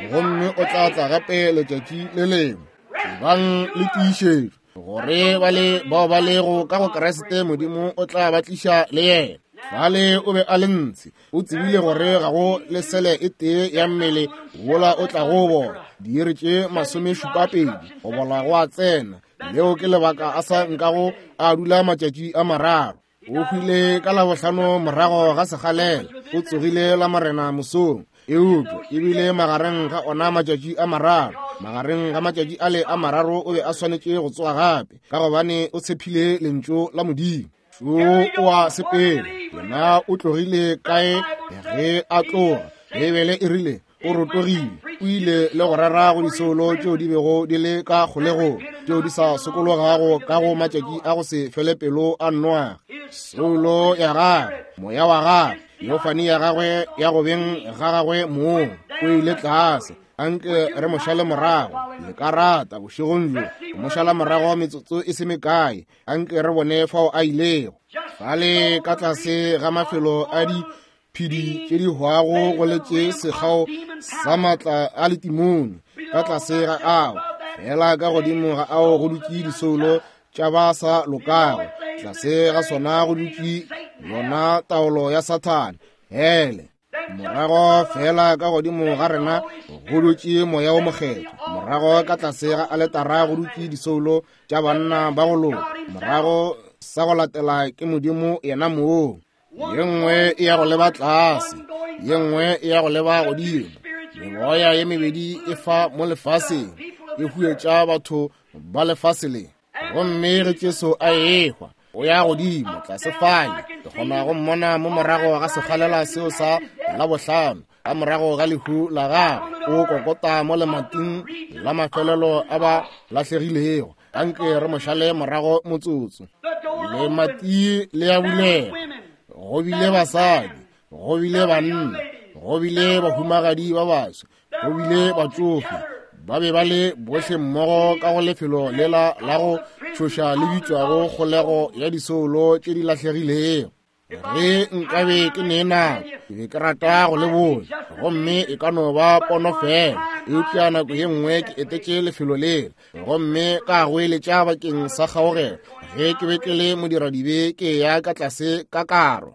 gomme o tla tla gape letšatši le lengwe. Ebang le tiišetšo gore ba le bao ba lego ka go Kriste, Modimo o tla ba tliša le yena. Fale o be a le ntshe, o tsebile gore ga go le sele e tee ya mmele wola o tlago bola. Diiri tše 72 go bola go a tsena. Leo ke lebaka a sa nkago a dula matšatši a mararo. O hwile ka Labohlano morago ga sekgalela, o tsogile Lamorena mosong. Eupša e bile magareng ga ona matšatši a mararo. Magareng ga matšatši ale a mararo o be a swanetše go tsoga gape, ka gobane o tshephile lentšu la Modimo. Šo o a sepela. Yena o tlogile kae ge a tloga? Beibele e rile o rotogile. o ile le go rera go disoulo tšeo di bego di le ka kgolegong, tšeo di sa sokologago ka go matšatši a go se fele pelo a Noage. Soulo ya gagwe, moya wa gagwe, yofani ya gagwe ya go beng ga gagwe mong, o ile tlase. Anke re mo šale morago, le ka rata bošegong bjo go mo šala morago metsotso e se mekae. Anke re bone fao a ilego. Fale ka tlase ga mafelo a diphedi tše di hwago go letše sekgao sa maatla a letimone, ka tlase ga ao, fela ka godimo ga ao go dutše disoulo tša ba sa lokago, tlase ga sona go dutše yona taolo ya Sathane, hele. Morago fela ka godimo ga rena go dutše moya wo mokgethwa, morago ka tlase ga aletara go dutše disoulo tša banna ba go loka, morago sa go latela ke Modimo yena mong. Ye nngwe e ya go leba tlase, ye nngwe e ya go leba godimo. Memoya ye mebedi e fa mo lefaseng, e huetša batho ba lefase le. Gomme ge Jesu a ehwa, o ya godimo tlase fale. Ke kgona go mmona mo morago ga sekgalela seo sa Labohlano, ka morago ga lehu la gagwe, o kokota mo lemating la mafelelo a ba lahlegilego. Anke re mo šale morago motsotso. Lemati le ya bulega. Go bile basadi, go bile banna, go bile bahumagadi ba baswa, go bile batšofe. Ba be ba le bohle mmogo ka go lefelo lela la go tšhoša le bitšwago kgolego ya disoulo tše di lahlegilego. Ge nkabe ke ne nako, ke be ke rata go le botša, gomme e ka no ba pono fela, eupša nako ye nngwe ke etetše lefelo lela gomme ka goeletša bakeng sa kgaogelo ge ke be ke le modiradibe ke ya ka tlase ka karo.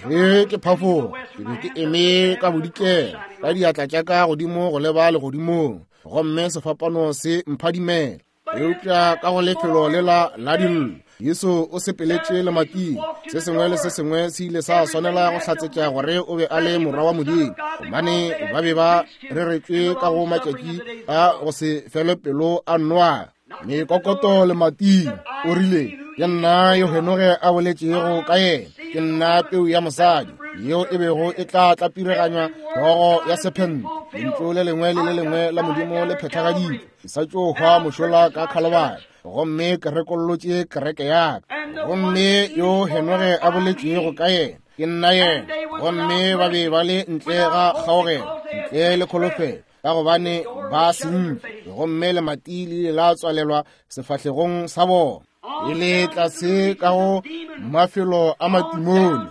Ge ke phafoga, ke be ke eme ka bodikela ka diatla tša ka godimo go leba legodimong, gomme sefapano se mphadimela. Eupša ka go lefelo lela la dillo, Jesu o sepeletše lemating. Se sengwe le se sengwe se ile sa swanela go hlatsetša gore o be a le Morwa wa Modimo, gobane ba be ba reretšwe ka go matšatši a go se fele pelo a Noa. Mekokoto lemating, o rile, Ke nna yo Henoge a boletšego ka yena, ke nna peu ya mosadi yeo e bego e tla tlapireganywa hlogo ya sephente. Lentšu le lengwe le le lengwe la Modimo le phethagaditšwe. Ke sa tšo hwa mošola ka Khalobari, gomme ke rekollotše kereke ya ka. Gomme yo Henoge a boletšego ka yena, ke nna yena. Gomme ba be ba le ntle ga kgaogelo, ntle le kholofelo, ka gobane ba sentše, gomme lemati le ile la tswalelwa sefahlegong sa bona. E le tlase ka go mafelo a matimone,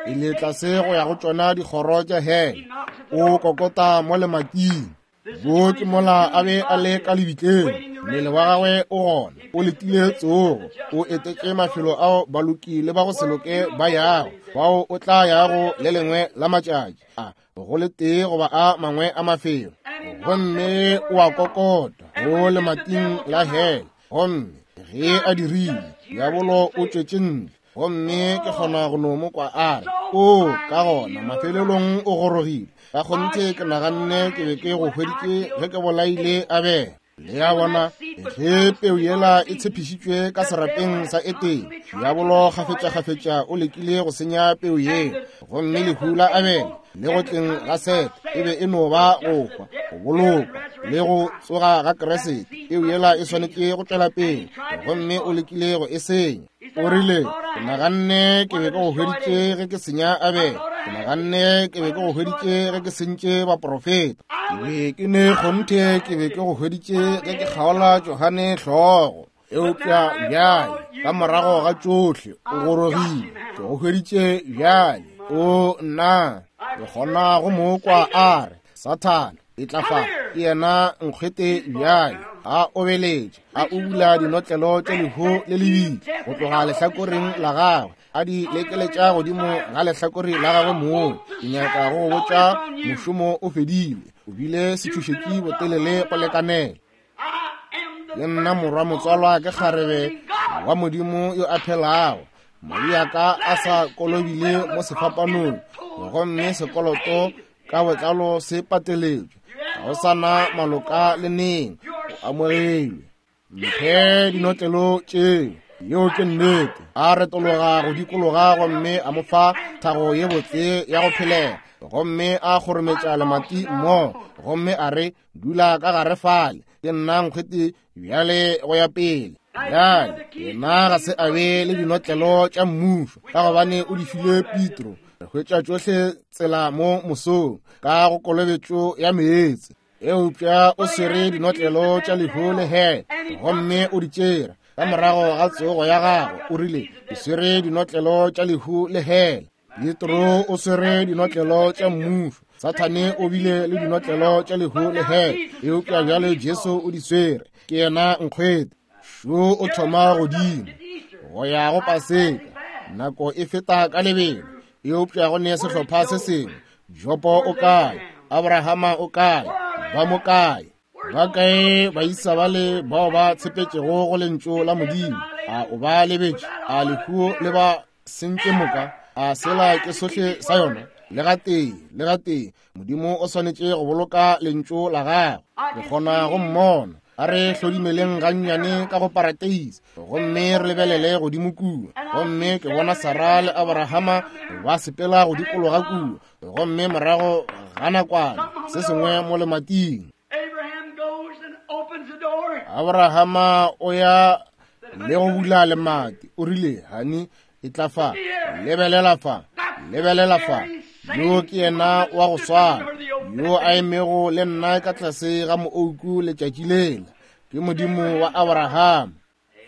e le tlase go ya go tšona dikgoro tša hele, o kokota mo lemating. Bo ke mola a be a le ka lebitleng, mmele wa gagwe o gona, o letile tsogo, o etetše mafelo ao baloki le ba go se loke ba yago, bao o tla yago le lengwe la matšatši a go le tee goba a mangwe a mafelo. Gomme o a kokota go lemating la hele, gomme ge a dirile, diabolo o tšwetše ntle. Gomme ke kgona go no mo kwa a re, O, ka gona mafelelong o gorogile. Ka kgonthe ke naganne ke be ke go hweditše ge ke bolaile Abele. Le a bona, ge peu yela e tshepišitšwe ka serapeng sa Etene, diabolo kgafetšakgafetša o lekile go senya peu yela. Gomme lehu la Abele le go tleng ga Sete e be e no ba go hwa, go bolokwa le go tsoga ga Kriste. Peu yela e swanetše go tšwela pele, gomme o lekile go e senya. O rile, Ke naganne ke be ke go hweditše ge ke senya Abele. Ke naganne ke be ke go hweditše ge ke sentše baprofeta. Ke be ke ne kgonthe ke be ke go hweditše ge ke kgaola Johane hlogo. Eupša bjale, ka morago ga tšohle, o gorogile. Ke go hweditše bjale. O nna, ke kgona go mo kwa a re, Sathane, e tla fa. Ke yena nkgwete bjale, a obeletše, a ubula dinotlelo tša lehu le lebitla go tloga lehlakoreng la gagwe, a di lekeletša godimo ga lehlakore la gagwe mong. Ke nyaka go go botša, mošomo o fedile. O bile setšhošetši botelele go lekanela. Ke nna morwa motswalwa ke kgarebe wa Modimo yo a phelago. Madi a ka a sa kolobile mo sefapanong, gomme sekoloto ka botlalo se pateletšwe. Ga o sa na maloka le neng, o amogelwe. Mphe dinotlelo tšeo. Yeo ke nnete. A retologa go dikologa gomme a mo fa thago ye botse ya go phelela. gomme a kgorometša lemati mmogo, gomme a re, Dula ka gare fale, ke nna nkgwete bjale go ya pele. Bjale, yena ga se a be le dinotlelo tša mmušo, ka gobane o di file Petro. Re hwetša tšohle tsela mo mosong ka go kolobetšo ya meetse. Eupša o swere dinotlelo tša lehu le hele, gomme o di tšere ka morago ga tsogo ya gagwe. O rile, Ke swere dinotlelo tša lehu le hele. Petro o swere dinotlelo tša mmušo. Sathane o bile le dinotlelo tša lehu le hele, eupša bjale Jesu o di swere. Ke yena nkgwete. Šo o thoma godimo go ya go Paseka. Nako e feta ka lebelo, eupša go ne sehlopha se sengwe. Jopo o kae? Abrahama o kae? Ba mo kae? Ba kae baisa bale bao ba tshepetšego go lentšu la Modimo? A o ba lebetše? A lehu le ba sentše moka? A sela ke sohle sa yona? Le gatee, le gatee, Modimo o swanetše go boloka lentšu la gagwe. Ke kgona go mmona. A re hlodimeleng gannyane ka go parateise gomme re lebelele godimo kua. Gomme ke bona Sara le Abrahama ba sepela go dikologa kua, gomme morago ga nakwana se sengwe mo lemating. Abrahama o ya le go bula lemati, o rile, Hani, e tla fa, lebelela fa, lebelela fa. Yo ke yena wa go swana yo a emego le nna ka tlase ga moouku letšatši lela. Ke Modimo wa Abraham.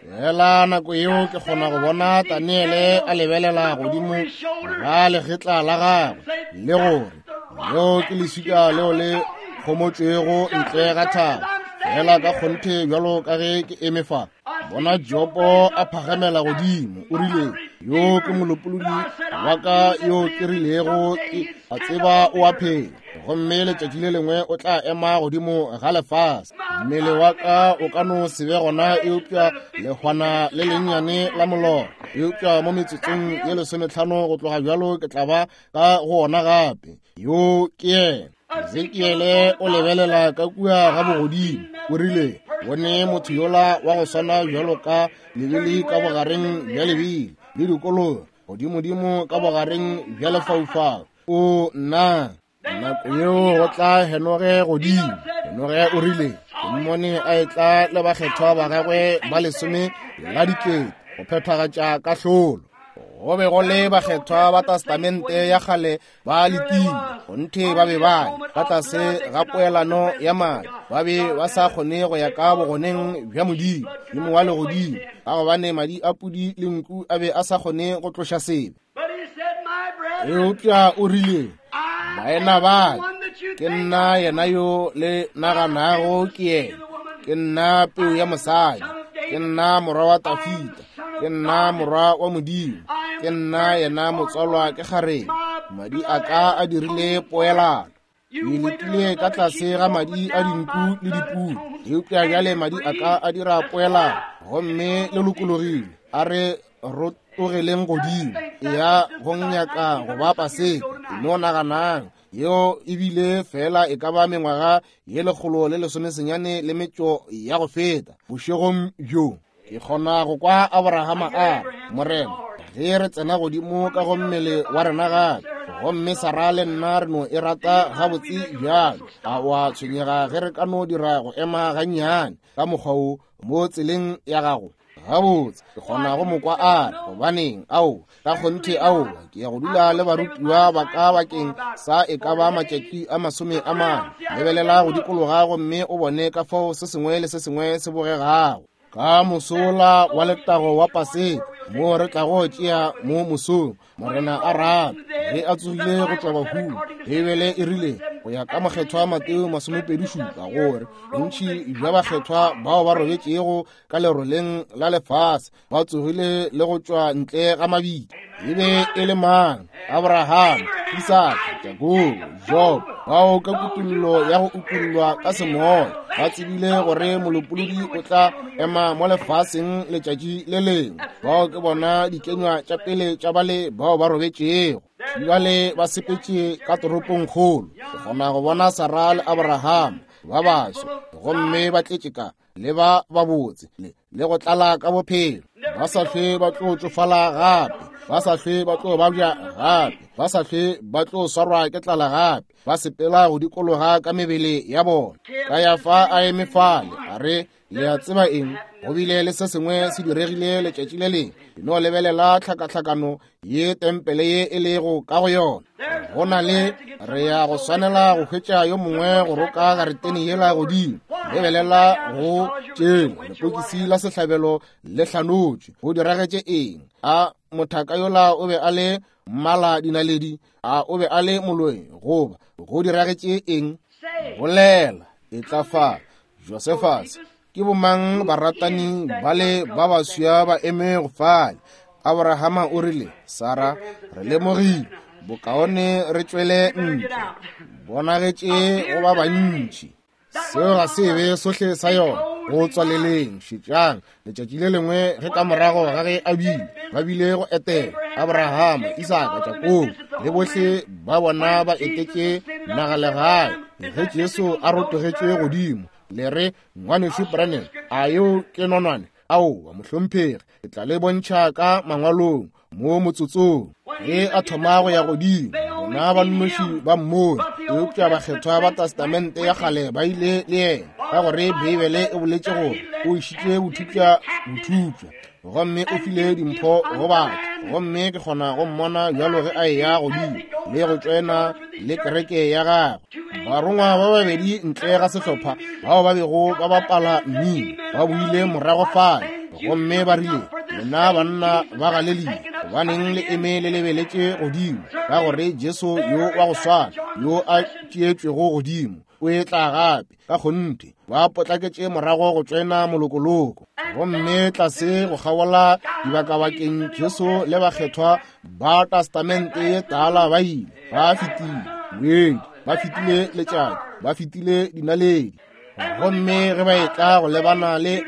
Fela nako yeo ke kgona go bona Daniele a lebelela godimo ga legetla la gagwe le gore leo ke leswika leo le kgomotšwego ntle ga thaba. Fela ka kgonthe bjalo ka ge ke eme fa, bona Jopo a phagamela godimo, o rile, Yo ke molopolodi wa ka yo ke rilego ke a tseba o a phela, gomme letšatši le lengwe o tla ema godimo ga lefase. Mmele wa ka o ka no se be gona, eupša lehwana le lennyane la molora, eupša mo metsotsong ye 15 go tloga bjalo ke tla ba ka go ona gape. Yo ke yena. Ezekiele o lebelela ka kua ga bogodimo, o rile, Bone motho yola wa go swana bjalo ka lebili ka bogareng bja lebili le dikolobe godimodimo ka bogareng bja lefaufau. O nna, nako yeo go tla Henoge godimo. Henoge o rile, Ke mmone a etla le bakgethwa ba gagwe ba 10 la dikete go phethagatša kahlolo. Go be go le bakgethwa ba Testamente ya kgale ba letile, kgonthe ba be ba ka tlase ga poelano ya madi, ba be ba sa kgone go ya ka bogoneng bja Modimo, Modimo wa legodimo, ka gobane madi a pudi le nku a be a sa kgone go tloša sebe. Eupša o rile, Baena ba, ke nna yena yo le naganago ke yena. Ke nna peu ya mosadi, ke nna morwa wa Tafita, ke nna morwa wa Modimo, ke nna yena motswalwa ke kgarebe. Madi a ka a dirile poelano. Ke letile ka tlase ga madi a dinku le dipudi, eupša bjale madi a ka a dira poelano, gomme le lokologile. A re rotogeleng godimo, eya go nyaka go ba Paseka. No naganang, yeo e bile fela e ka ba mengwaga ye 119 le metšo ya go feta bošegong bjo. Ke kgona go kwa Abrahama a re, Morena, ge re tsena godimo ka go mmele wa rena gape, gomme Sara le nna re no e rata gabotse bjalo, a o a tshwenyega ge re ka no dira go ema gannyane ka mokgwa wo mo tseleng ya gago? Gabotse, ke kgona go mo kwa a re, Gobaneng, ao, ka kgonthe, aowa, ke ya go dula le barutiwa ba ka bakeng sa e ka ba matšatši a 40. Lebelela go dikologa gomme o bone ka fao se sengwe le se sengwe se bogegago. Ka mosola wa letago wa Paseka, moo re tlago tšea mo mosong, Morena a rata, ge a tsogile go tšwa bahung. Beibele e rile, go ya ka mokgethwa Mateo 27, gore bontši bja bakgethwa bao ba robetšego ka leroleng la lefase ba tsogile le go tšwa ntle ga mabitla. E be e le mang? Abraham, Isaka, Jakobo, Job, bao ka kutollo ya go utollwa ka semoya ba tsebile gore molopolodi o tla ema mo lefaseng letšatši le lengwe. Bao ke bona dikenywa tša pele tša bale bao ba robetšego. Bjale ba sepetše ka toropongkgolo. Ke kgona go bona Sara le Abraham ba baso, gomme ba tletše ka le ba babotse le go tlala ka bophelo, ba sa hlwe ba tlo tšofala gape. Ba sa hlwe ba tlo babja gape, ba sa hlwe ba tlo swarwa ke tlala gape, ba sepela go dikologa ka mebele ya bona. Kayafa a eme fale, a re, Le a tseba eng? Go bile le se sengwe se diregile letšatši le lengwe. Ke no lebelela tlhakatlhakano ye tempele ye e lego ka go yona. Go na le, re ya go swanela go hwetša yo mongwe go roka garetene yela godimo. Lebelela go tšela lepokisi la sehlabelo le hlanotšwe. Go diragetše eng? A mothaka yola o be a le mmala dinaledi? A o be a le moloi? Goba go diragetše eng? Bolela, etla fa. Josephus, ke bomang baratani bale ba baswa ba emego fale? Abrahama o rile, Sara, re lemogile, bokaone re tšwele ntle. Bonagetše go ba bantši. Seo ga se be sohle sa yona. Go tswaleleng, šetšang, letšatši le lengwe ge ka morago ga ge a bile, ba bile go etela Abrahama, Isaka, Jakobo, le bohle ba bona ba etetše nagalegae. Ge Jesu a rotogetše godimo, le re, Ngwanešu Branham, a yeo ke nonwane? Aowa, mohlomphegi, ke tla le bontšha ka mangwalong mo motsotsong. Ge a thoma go ya godimo, bona ba nnoši ba mmone, eupša bakgethwa ba Testamente ya kgale ba ile le yena, ka gore Beibele e boletše gore o išitše bothupša bothupša, gomme o file dimpho go batho. Gomme ke kgona go mmona bjalo ge a eya godimo le go tšoena le kereke ya gagwe. Barongwa ba babedi ntle ga sehlopha bao ba bego ba bapala mmino ba boile morago fale, gomme ba rile, Lena banna ba Galelia, gobaneng le eme le lebeletše godimo? Ka gore Jesu yo wa go swana yo a tšeetšwego godimo o etla gape. Ka kgonthe ba potlaketše morago go tšwena molokoloko, gomme tlase go kgabola dibakabakeng Jesu le bakgethwa ba Testamente ye Tala ba ile ba fetile moedi, ba fetile letšatši, ba fetile dinaledi. Gomme ge ba etla go lebana le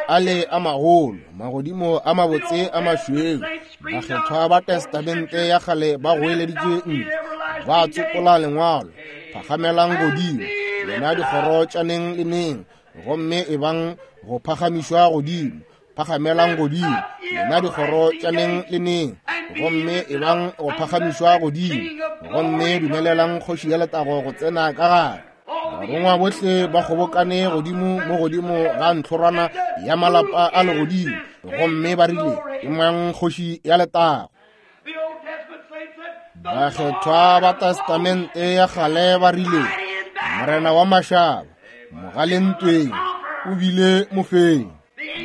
ale a magolo, magodimo a mabotse a mašweu, bakgethwa ba Testamente ya kgale ba goeleditše ntle, ba tsopola lengwalo, Phagamelang godimo, lena dikgoro tša neng le neng, gomme ebang go phagamišwa godimo. Phagamelang godimo, lena dikgoro tša neng le neng, gomme ebang go phagamišwa godimo, gomme dumelelang kgoši ya letago go tsena ka gare. Barongwa bohle ba kgobokane godimo mo godimo ga ntlhorwana ya malapa a legodimo, gomme ba rile, Ke mang kgoši ya letago? Bakgethwa ba Testamente ya kgale ba rile, Morena wa mašaba, mogalentweng, o bile mofenyi.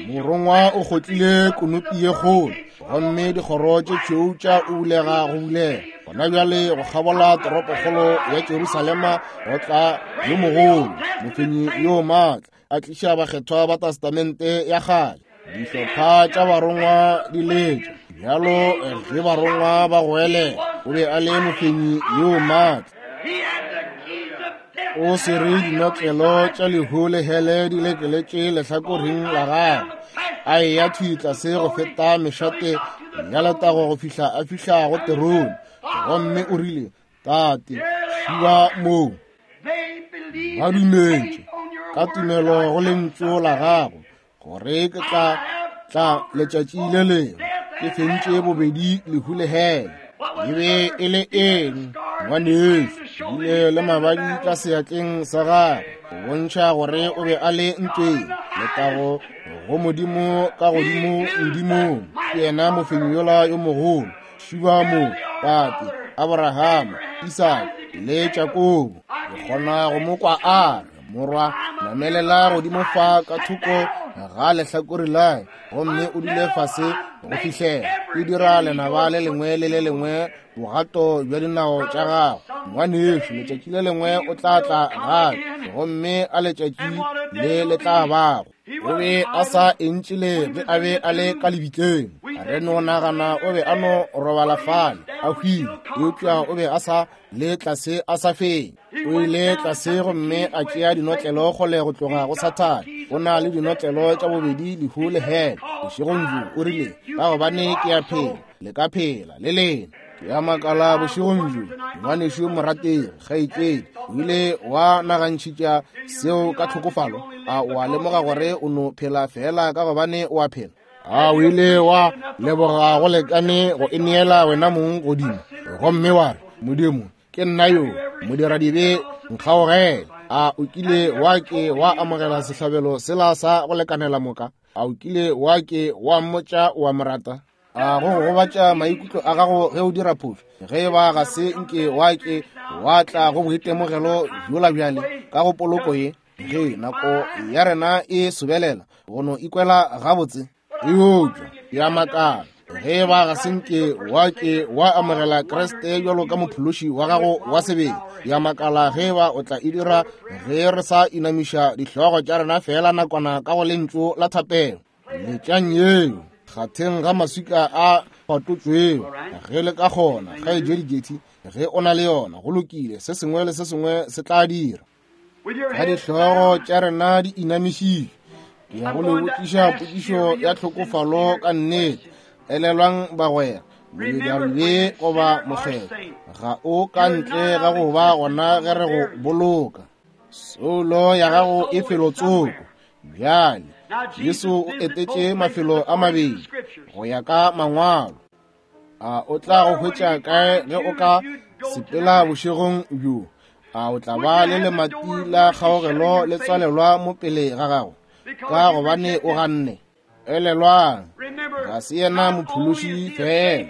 Morongwa o kgotlile konopi ye kgolo, gomme dikgoro tše tšhweu tša ulega go bulega. Gona bjale go kgabola toropokgolo ya Jerusalema go tla yo mogolo, mofenyi yo maatla, a tliša bakgethwa ba Testamente ya kgale. Dihlopha tša barongwa di letša bjalo ge barongwa ba goelela, o be a le mofenyi yo maatla. O swere dinotlelo tša lehu le hele di lekeletše lehlakoreng la gagwe, a eya thwi tlase go feta mešate ya letago go fihla a fihla go terone, gomme o rile, Tate, šiba moo. Ba dumetše ka tumelo go lentšu la gago gore ke tla tla letšatši le lengwe ke fentše bobedi lehu le hele. E be e le eng, ngwanešu? Bile le mabadi ka seatleng sa gagwe go bontšha gore o be a le ntweng. Letago go Modimo ka godimo modimong, ke yena mofenyi yola yo mogolo. Šiba mo, tate Abrahama, Isaka le Jakobo. Ke kgona go mo kwa a re, Morwa, namelela godimo fa ka thoko ga lehlakore la, gomme o dule fase go fihlela ke dira lenaba le lengwe le le lengwe bogato bja dinao tša gago. Ngwanešu, letšatši le lengwe o tla tla gape, gomme a letšatši le le tla bago. O be a sa entšile ge a be a le ka lebitleng. Re no nagana o be a no robala fale a hwile, eupša o be a sa le tlase a sa fenye. O ile tlase gomme a tšea dinotlelo kgole go tloga go Sathane. O na le dinotlelo tša bobedi lehu le hele. Bošegong bjo o rile, ka gobane ke a phela, le ka phela le lena. Ke a makala bošegong bjo, ngwanešu morategi, kgaetšedi, o ile wa nagantšhitša seo ka tlhokofalo? A o a lemoga gore o no phela feela ka gobane o a phela? A o ile wa leboga go lekane go ineela wena mong godimo gomme wa re, Modimo, ke nna yo, modiradibe, nkgaogele? A o kile wa ke wa amogela sehlabelo sela sa go lekanela moka? A o kile wa ke wa mmotša wa mo rata? A go gobatša maikutlo a gago ge o dira phošo? Ge e ba ga se nke wa ke wa tla go boitemogelo bjola bjale ka go poloko ye, ge nako ya rena e sobelela go no ikwela gabotse, eupša ke a makala ge e ba ga se nke wa ke wa amogela Kriste bjalo ka mophološi wa gago wa sebele. Ke a makala ge e ba o tla e dira ge re sa inamiša dihlogo tša rena feela nakwana ka go lentšu la thapelo. Letšang yeo kgatheng ga maswika a patotšwego ge le ka kgona. Kgaetšedi Jetty, ge o na le yona, go lokile, se sengwe le se sengwe se tla dira. Ka dihlogo tša rena di inamišitšwe, ke ya go le botšiša potšišo ya tlhokofalo ka nnete. Elelwang bagwera, modiradibe goba mokgethwa ga o ka ntle ga go ba gona ge re go boloka. Soulo ya gago e felotsoko. Bjale, Jesu o etetše mafelo a mabedi go ya ka Mangwalo. A o tla go hwetša kae ge o ka sepela bošegong bjo? A o tla ba le lemati la kgaogelo le tswalelwa mo pele ga gago ka gobane o ganne? Elelwang, ga se yena mophološi fela,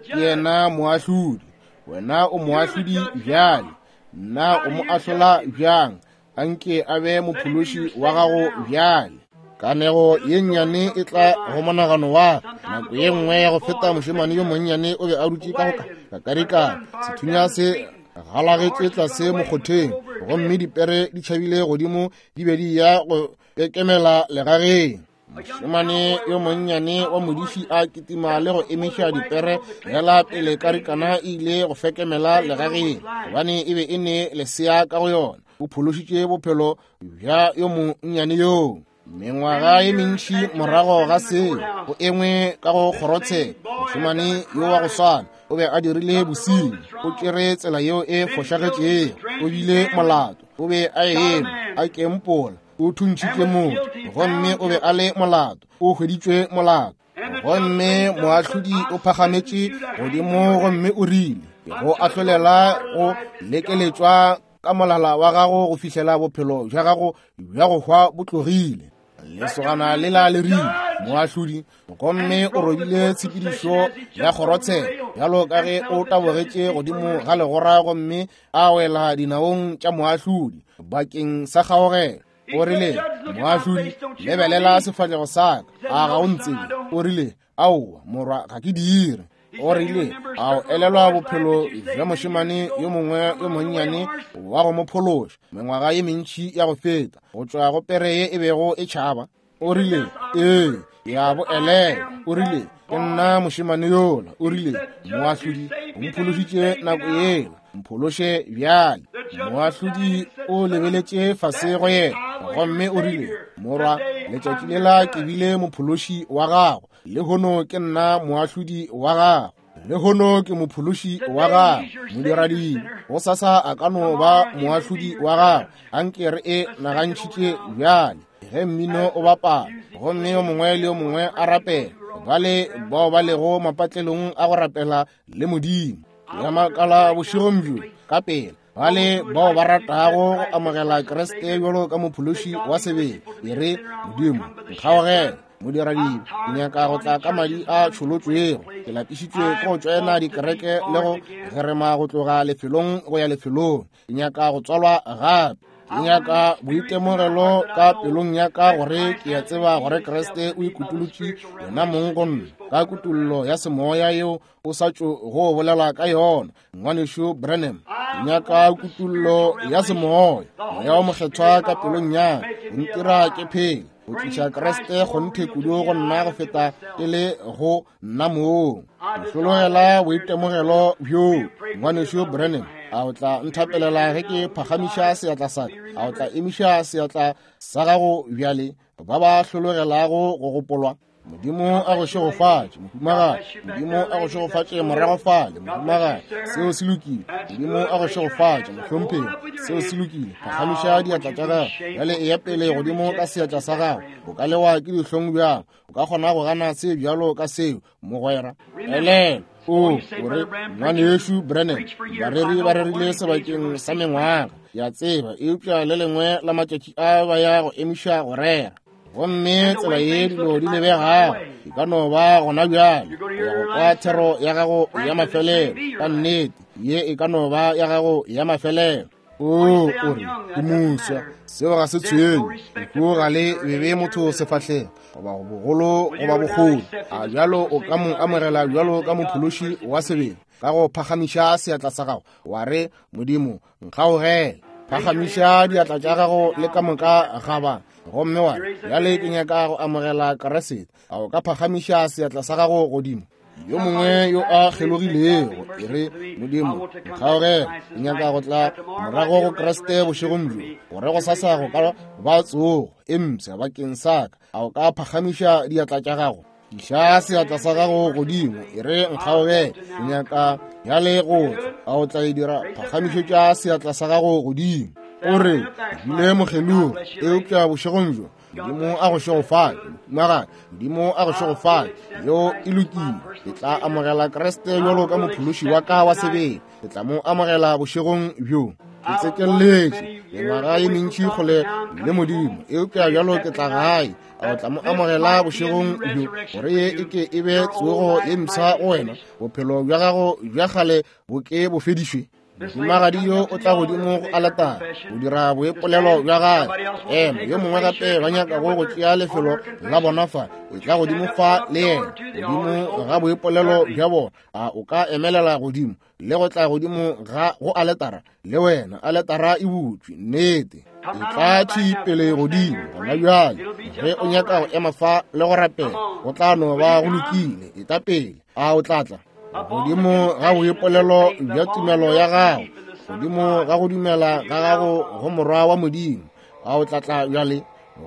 ke yena moahlodi. Wena o moahlodi bjale. Nna o mo ahlola bjang? Anke a be mophološi wa gago bjale. Kanego ye nnyane e tla go monagano wa nako ye nngwe ya go feta. Mošemane yo monnyane o be a dutše ka go kakarikana, sethunya se galagetše tlase mokgotheng, gomme dipere di tšhabile godimo, di be di ya go kekemela legageng. Mošemane yo monnyane wa modiši a kitima le go emiša dipere fela pele karikana e ile go fekemela legageng, gobane e be e ne lesea ka go yona. O phološitše bophelo bja yo monnyane yoo. Mengwaga ye mentši morago ga seo, go engwe ka go kgorotsheko, mošemane yo wa go swana o be a dirile bosenyi, o tšere tsela yeo e fošagetšego, o bile molato, o be a eme a kempola, o thuntšhitše motho, gomme o be a le molato, o hweditšwe molato. Gomme moahlodi o phagametše godimo gomme o rile, ke go ahlolela go lekeletšwa ka molala wa gago go fihlela bophelo bja gago bja go hwa bo tlogile. Lesogana lela le rile, moahlodi, gomme o robile tshepedišo ya kgorotsheko bjalo ka ge o tabogetše godimo ga legora gomme a wela dinaong tša moahlodi bakeng sa kgaogelo. O rile, moahlodi, lebelela sefahlego sa ka, a ga o ntsebe? O rile, aowa morwa, ga ke dire. O rile, a o elelwa bophelo bja mošemane yo mongwe yo monnyane wa go mo phološa mengwaga ye mentši ya go feta go tšwa go pere ye e bego e tšhaba? O rile, ee, ke a bo elelwa. O rile, ke nna mošemane yola. O rile, moahlodi, o mphološitše nako yela, mphološe bjale. Moahlodi o lebeletše fase go yena gomme o rile, morwa, letšatši lela ke bile mophološi wa gago, lehono ke nna moahlodi wa gago, lehono ke mophološi wa gago. Modiradibe gosasa a ka no ba moahlodi wa gago. Anke re e nagantšhitše bjale ge mmino o bapala gomme yo mongwe le yo mongwe a rapela, bale bao ba lego mapatlelong a go rapela le Modimo. Ya makala bošegong bjo ka pela bale bao ba ratago go amogela Kriste bjalo ka mophološi wa sebele, e re, Modimo, nkgaogele, modiradibe, ke nyaka go tla ka madi a tšholotšwego. Ke lapišitšwe ke go tšoena dikereke le go gerema go tloga lefelong go ya lefelong. Ke nyaka go tswalwa gape. Ke nyaka boitemogelo ka pelong ya ka gore ke a tseba gore Kriste o ikutulotše yena mong go nna ka kutollo ya semoya yeo o sa tšo go bolela ka yona, ngwanešu Branham. Ke nyaka kutollo ya semoya, moya o mokgethwa ka pelong ya ka, o ntira ke phele, go tliša Kriste kgonthe kudu go nna go feta ke le go nna mong. Ke hlologela boitemogelo bjoo, ngwanešu Branham. A o tla nthapelela ge ke phagamiša seatla sa ka? A o tla emiša seatla sa gago bjale, ba ba hlologelago go gopolwa? Modimo a go šegofatše, mohumagadi. Modimo a go šegofatše morago fale, mohumagadi. Seo se lokile. Modimo a go šegofatše, mohlomphegi. Seo se lokile. Phagamiša diatla tša gago. Bjale eya pele godimo ka seatla sa gago. O ka lewa ke dihlong bjang? O ka kgona go gana se bjalo ka seo, mogwera? Elelwa. O, o re, Ngwanešu Branham, bareri ba rerile sebakeng sa mengwaga, ke a tseba, eupša le lengwe la matšatši a ba ya go emiša go rera. Gomme tsela ye dilo di lebegago e ka no ba gona bjale go ya go kwa thero ya gago ya mafelelo. Ka nnete, ye e ka no ba ya gago ya mafelelo. O, o re, ke moswa. Seo ga se tshwenye. Lehu ga le bebe motho sefahlego, goba bogolo goba bokgoni. A bjalo o ka mo amogela bjalo ka mophološi wa sebele, ka go phagamiša seatla sa gago, wa re, Modimo, nkgaogele. Phagamiša diatla tša gago le ka moka ga ba, gomme wa re, Bjale ke nyaka go amogela Kriste. A o ka phagamiša seatla sa gago godimo? Yo mongwe yo a kgelogilego, e re, Modimo, nkgaogele, ke nyaka go tla morago go Kriste bošegong bjo, gore go sasa go ka ba tsogo e mpsha bakeng sa ka. A o ka phagamiša diatla tša gago? Iša seatla sa gago godimo, e re, nkgaogele, ke nyaka bjale go tla. A o tla e dira? Phagamišetša seatla sa gago godimo. O re, ke bile mokgelogi, eupša bošegong bjo Modimo a go šegofatše, mohumagadi. Modimo a go šegofatše. Yeo e lokile. Ke tla amogela Kriste bjalo ka mophološi wa ka wa sebele. Ke tla mo amogela bošegong bjo. Ke tsekelletše mengwaga ye mentši kgole le Modimo, eupša bjalo ke tla gae. A o tla mo amogela bošegong bjo, gore ye e ke e be tsogo ye mpsha go wena, bophelo bja gago bja kgale bo ke bo fedišwe? Mohumagadi yo o tla godimo go aletare go dira boipolelo bja gagwe. Ema, yo mongwe gape ba nyakago go tšea lefelo la bona fa, e tla godimo fa le yena, godimo ga boipolelo bja bona. A o ka emelela godimo le go tla godimo ga go aletara le wena? Aletara e butšwe, nnete. E tla thwi pele godimo gona bjale. Ge o nyaka go ema fa le go rapela, go tla no ba go lokile. E tla pele. A o tla tla godimo ga boipolelo bja tumelo ya gago, godimo ga go dumela ga gago go Morwa wa Modimo? A o tla tla bjale?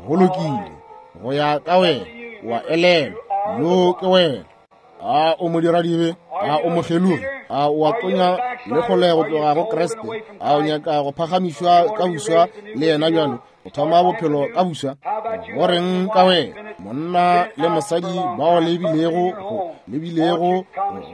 Go lokile, go ya ka wena. Wa elelwa, yo ke wena. A o modiradibe? A o mokgelogi? A o a tonya le kgole go tloga go Kriste? A o nyaka go phagamišwa ka buswa le yena bjalo, go thoma bophelo ka buswa? Go reng ka wena, monna le mosadi bao le bilego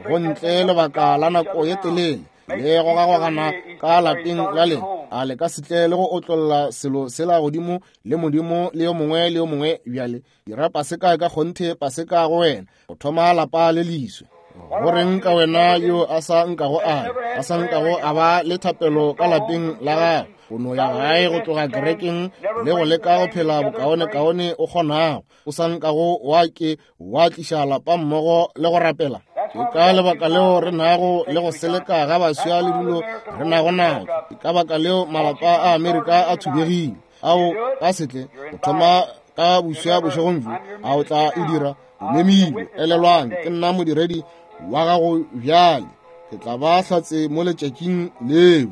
go ntle lebaka la nako ye telele le gogagogana ka lapeng la lena? A le ka se tle le go otlolla selo sela godimo le Modimo le yo mongwe le yo mongwe bjale? Dira paseka ka kgonthe paseka go wena, go thoma lapa le leswe. Go reng ka wena yo a sa nkago a a sa nkago a ba le thapelo ka lapeng la gago, o no ya gae go tloga kerekeng le go leka go phela bokaonekaone o kgonago, o sa nkago wa ke wa tliša lapa mmogo le go rapela? Ke ka lebaka leo re nago le go seleka ga baswa le dilo re nago nago. Ke ka baka leo malapa a Amerika a thubegile. Ao ka setle go thoma ka buswa bošegong bjo, a o tla e dira? O memilwe. Elelwang, ke nna modiredi wa gago bjale. Ke tla ba hlatse mo letšatšing leo.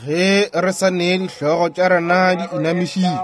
Ge re sa nee dihlogo tša rena di inamišitšwe,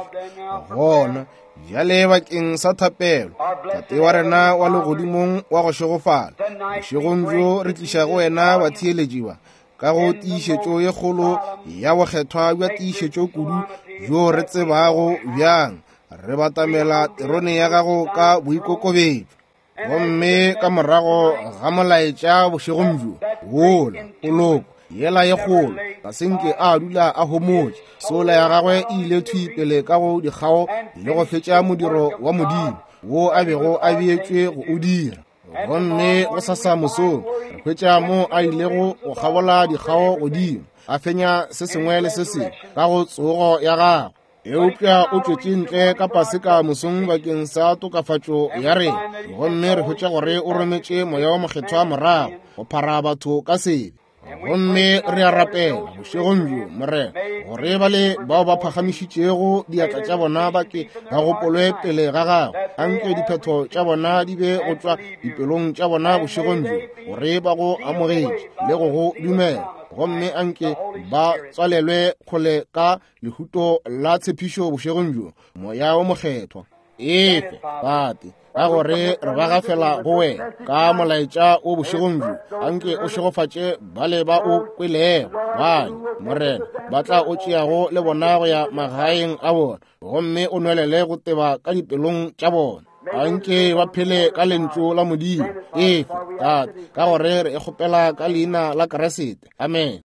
gona bjale bakeng sa thapelo, Tate wa rena wa legodimong wa go šegofala, bošegong bjo re tliša go wena batheeletši ba ka go tiišetšo ye kgolo ya bokgethwa bja tiišetšo kudu bjo re tsebago bjang, re batamela terone ya gago ka boikokobetšo. Gomme ka morago ga molaetša bošegong bjo, wola poloko yela ye kgolo ga se nke a dula a homotše, sola ya gagwe e ile thwi pele ka go dikgao le go fetša modiro wa Modimo wo a bego a beetšwe go o dira. Gomme go sasa mosong re hwetša mo a ilego go kgabola dikgao godimo, a fenya se sengwe le se sengwe ka go tsogo ya gagwe. Eupša o tšwetše ntle ka Paseka mosong bakeng sa tokafatšo ya rena, gomme re hwetša gore o rometše Moya wa Mokgethwa morago go phara batho ka sebe. Gomme re a rapela bošegong bjo, Morena, gore ba le bao ba phagamišitšego diatla tša bona ba ke ba gopolwe pele ga gago. Anke diphetho tša bona di be go tšwa dipelong tša bona bošegong bjo, gore ba go amogetše le go go dumela. Gomme anke ba tswalelwe kgole ka lehuto la tshepišo bošegong bjo, Moya wo Mokgethwa. Efe, Tate, ka gore re ba gafela go wena ka molaetša o bošegong bjo. Anke o šegofatše bale ba o kwelego, bale, Morena, ba tla o tšeago le bona go ya magaeng a bona, gomme o nwelele go teba ka dipelong tša bona. Anke ba phele ka lentšu la Modimo. Efe, Tate, ka gore re e kgopela ka leina la Kriste. Amen.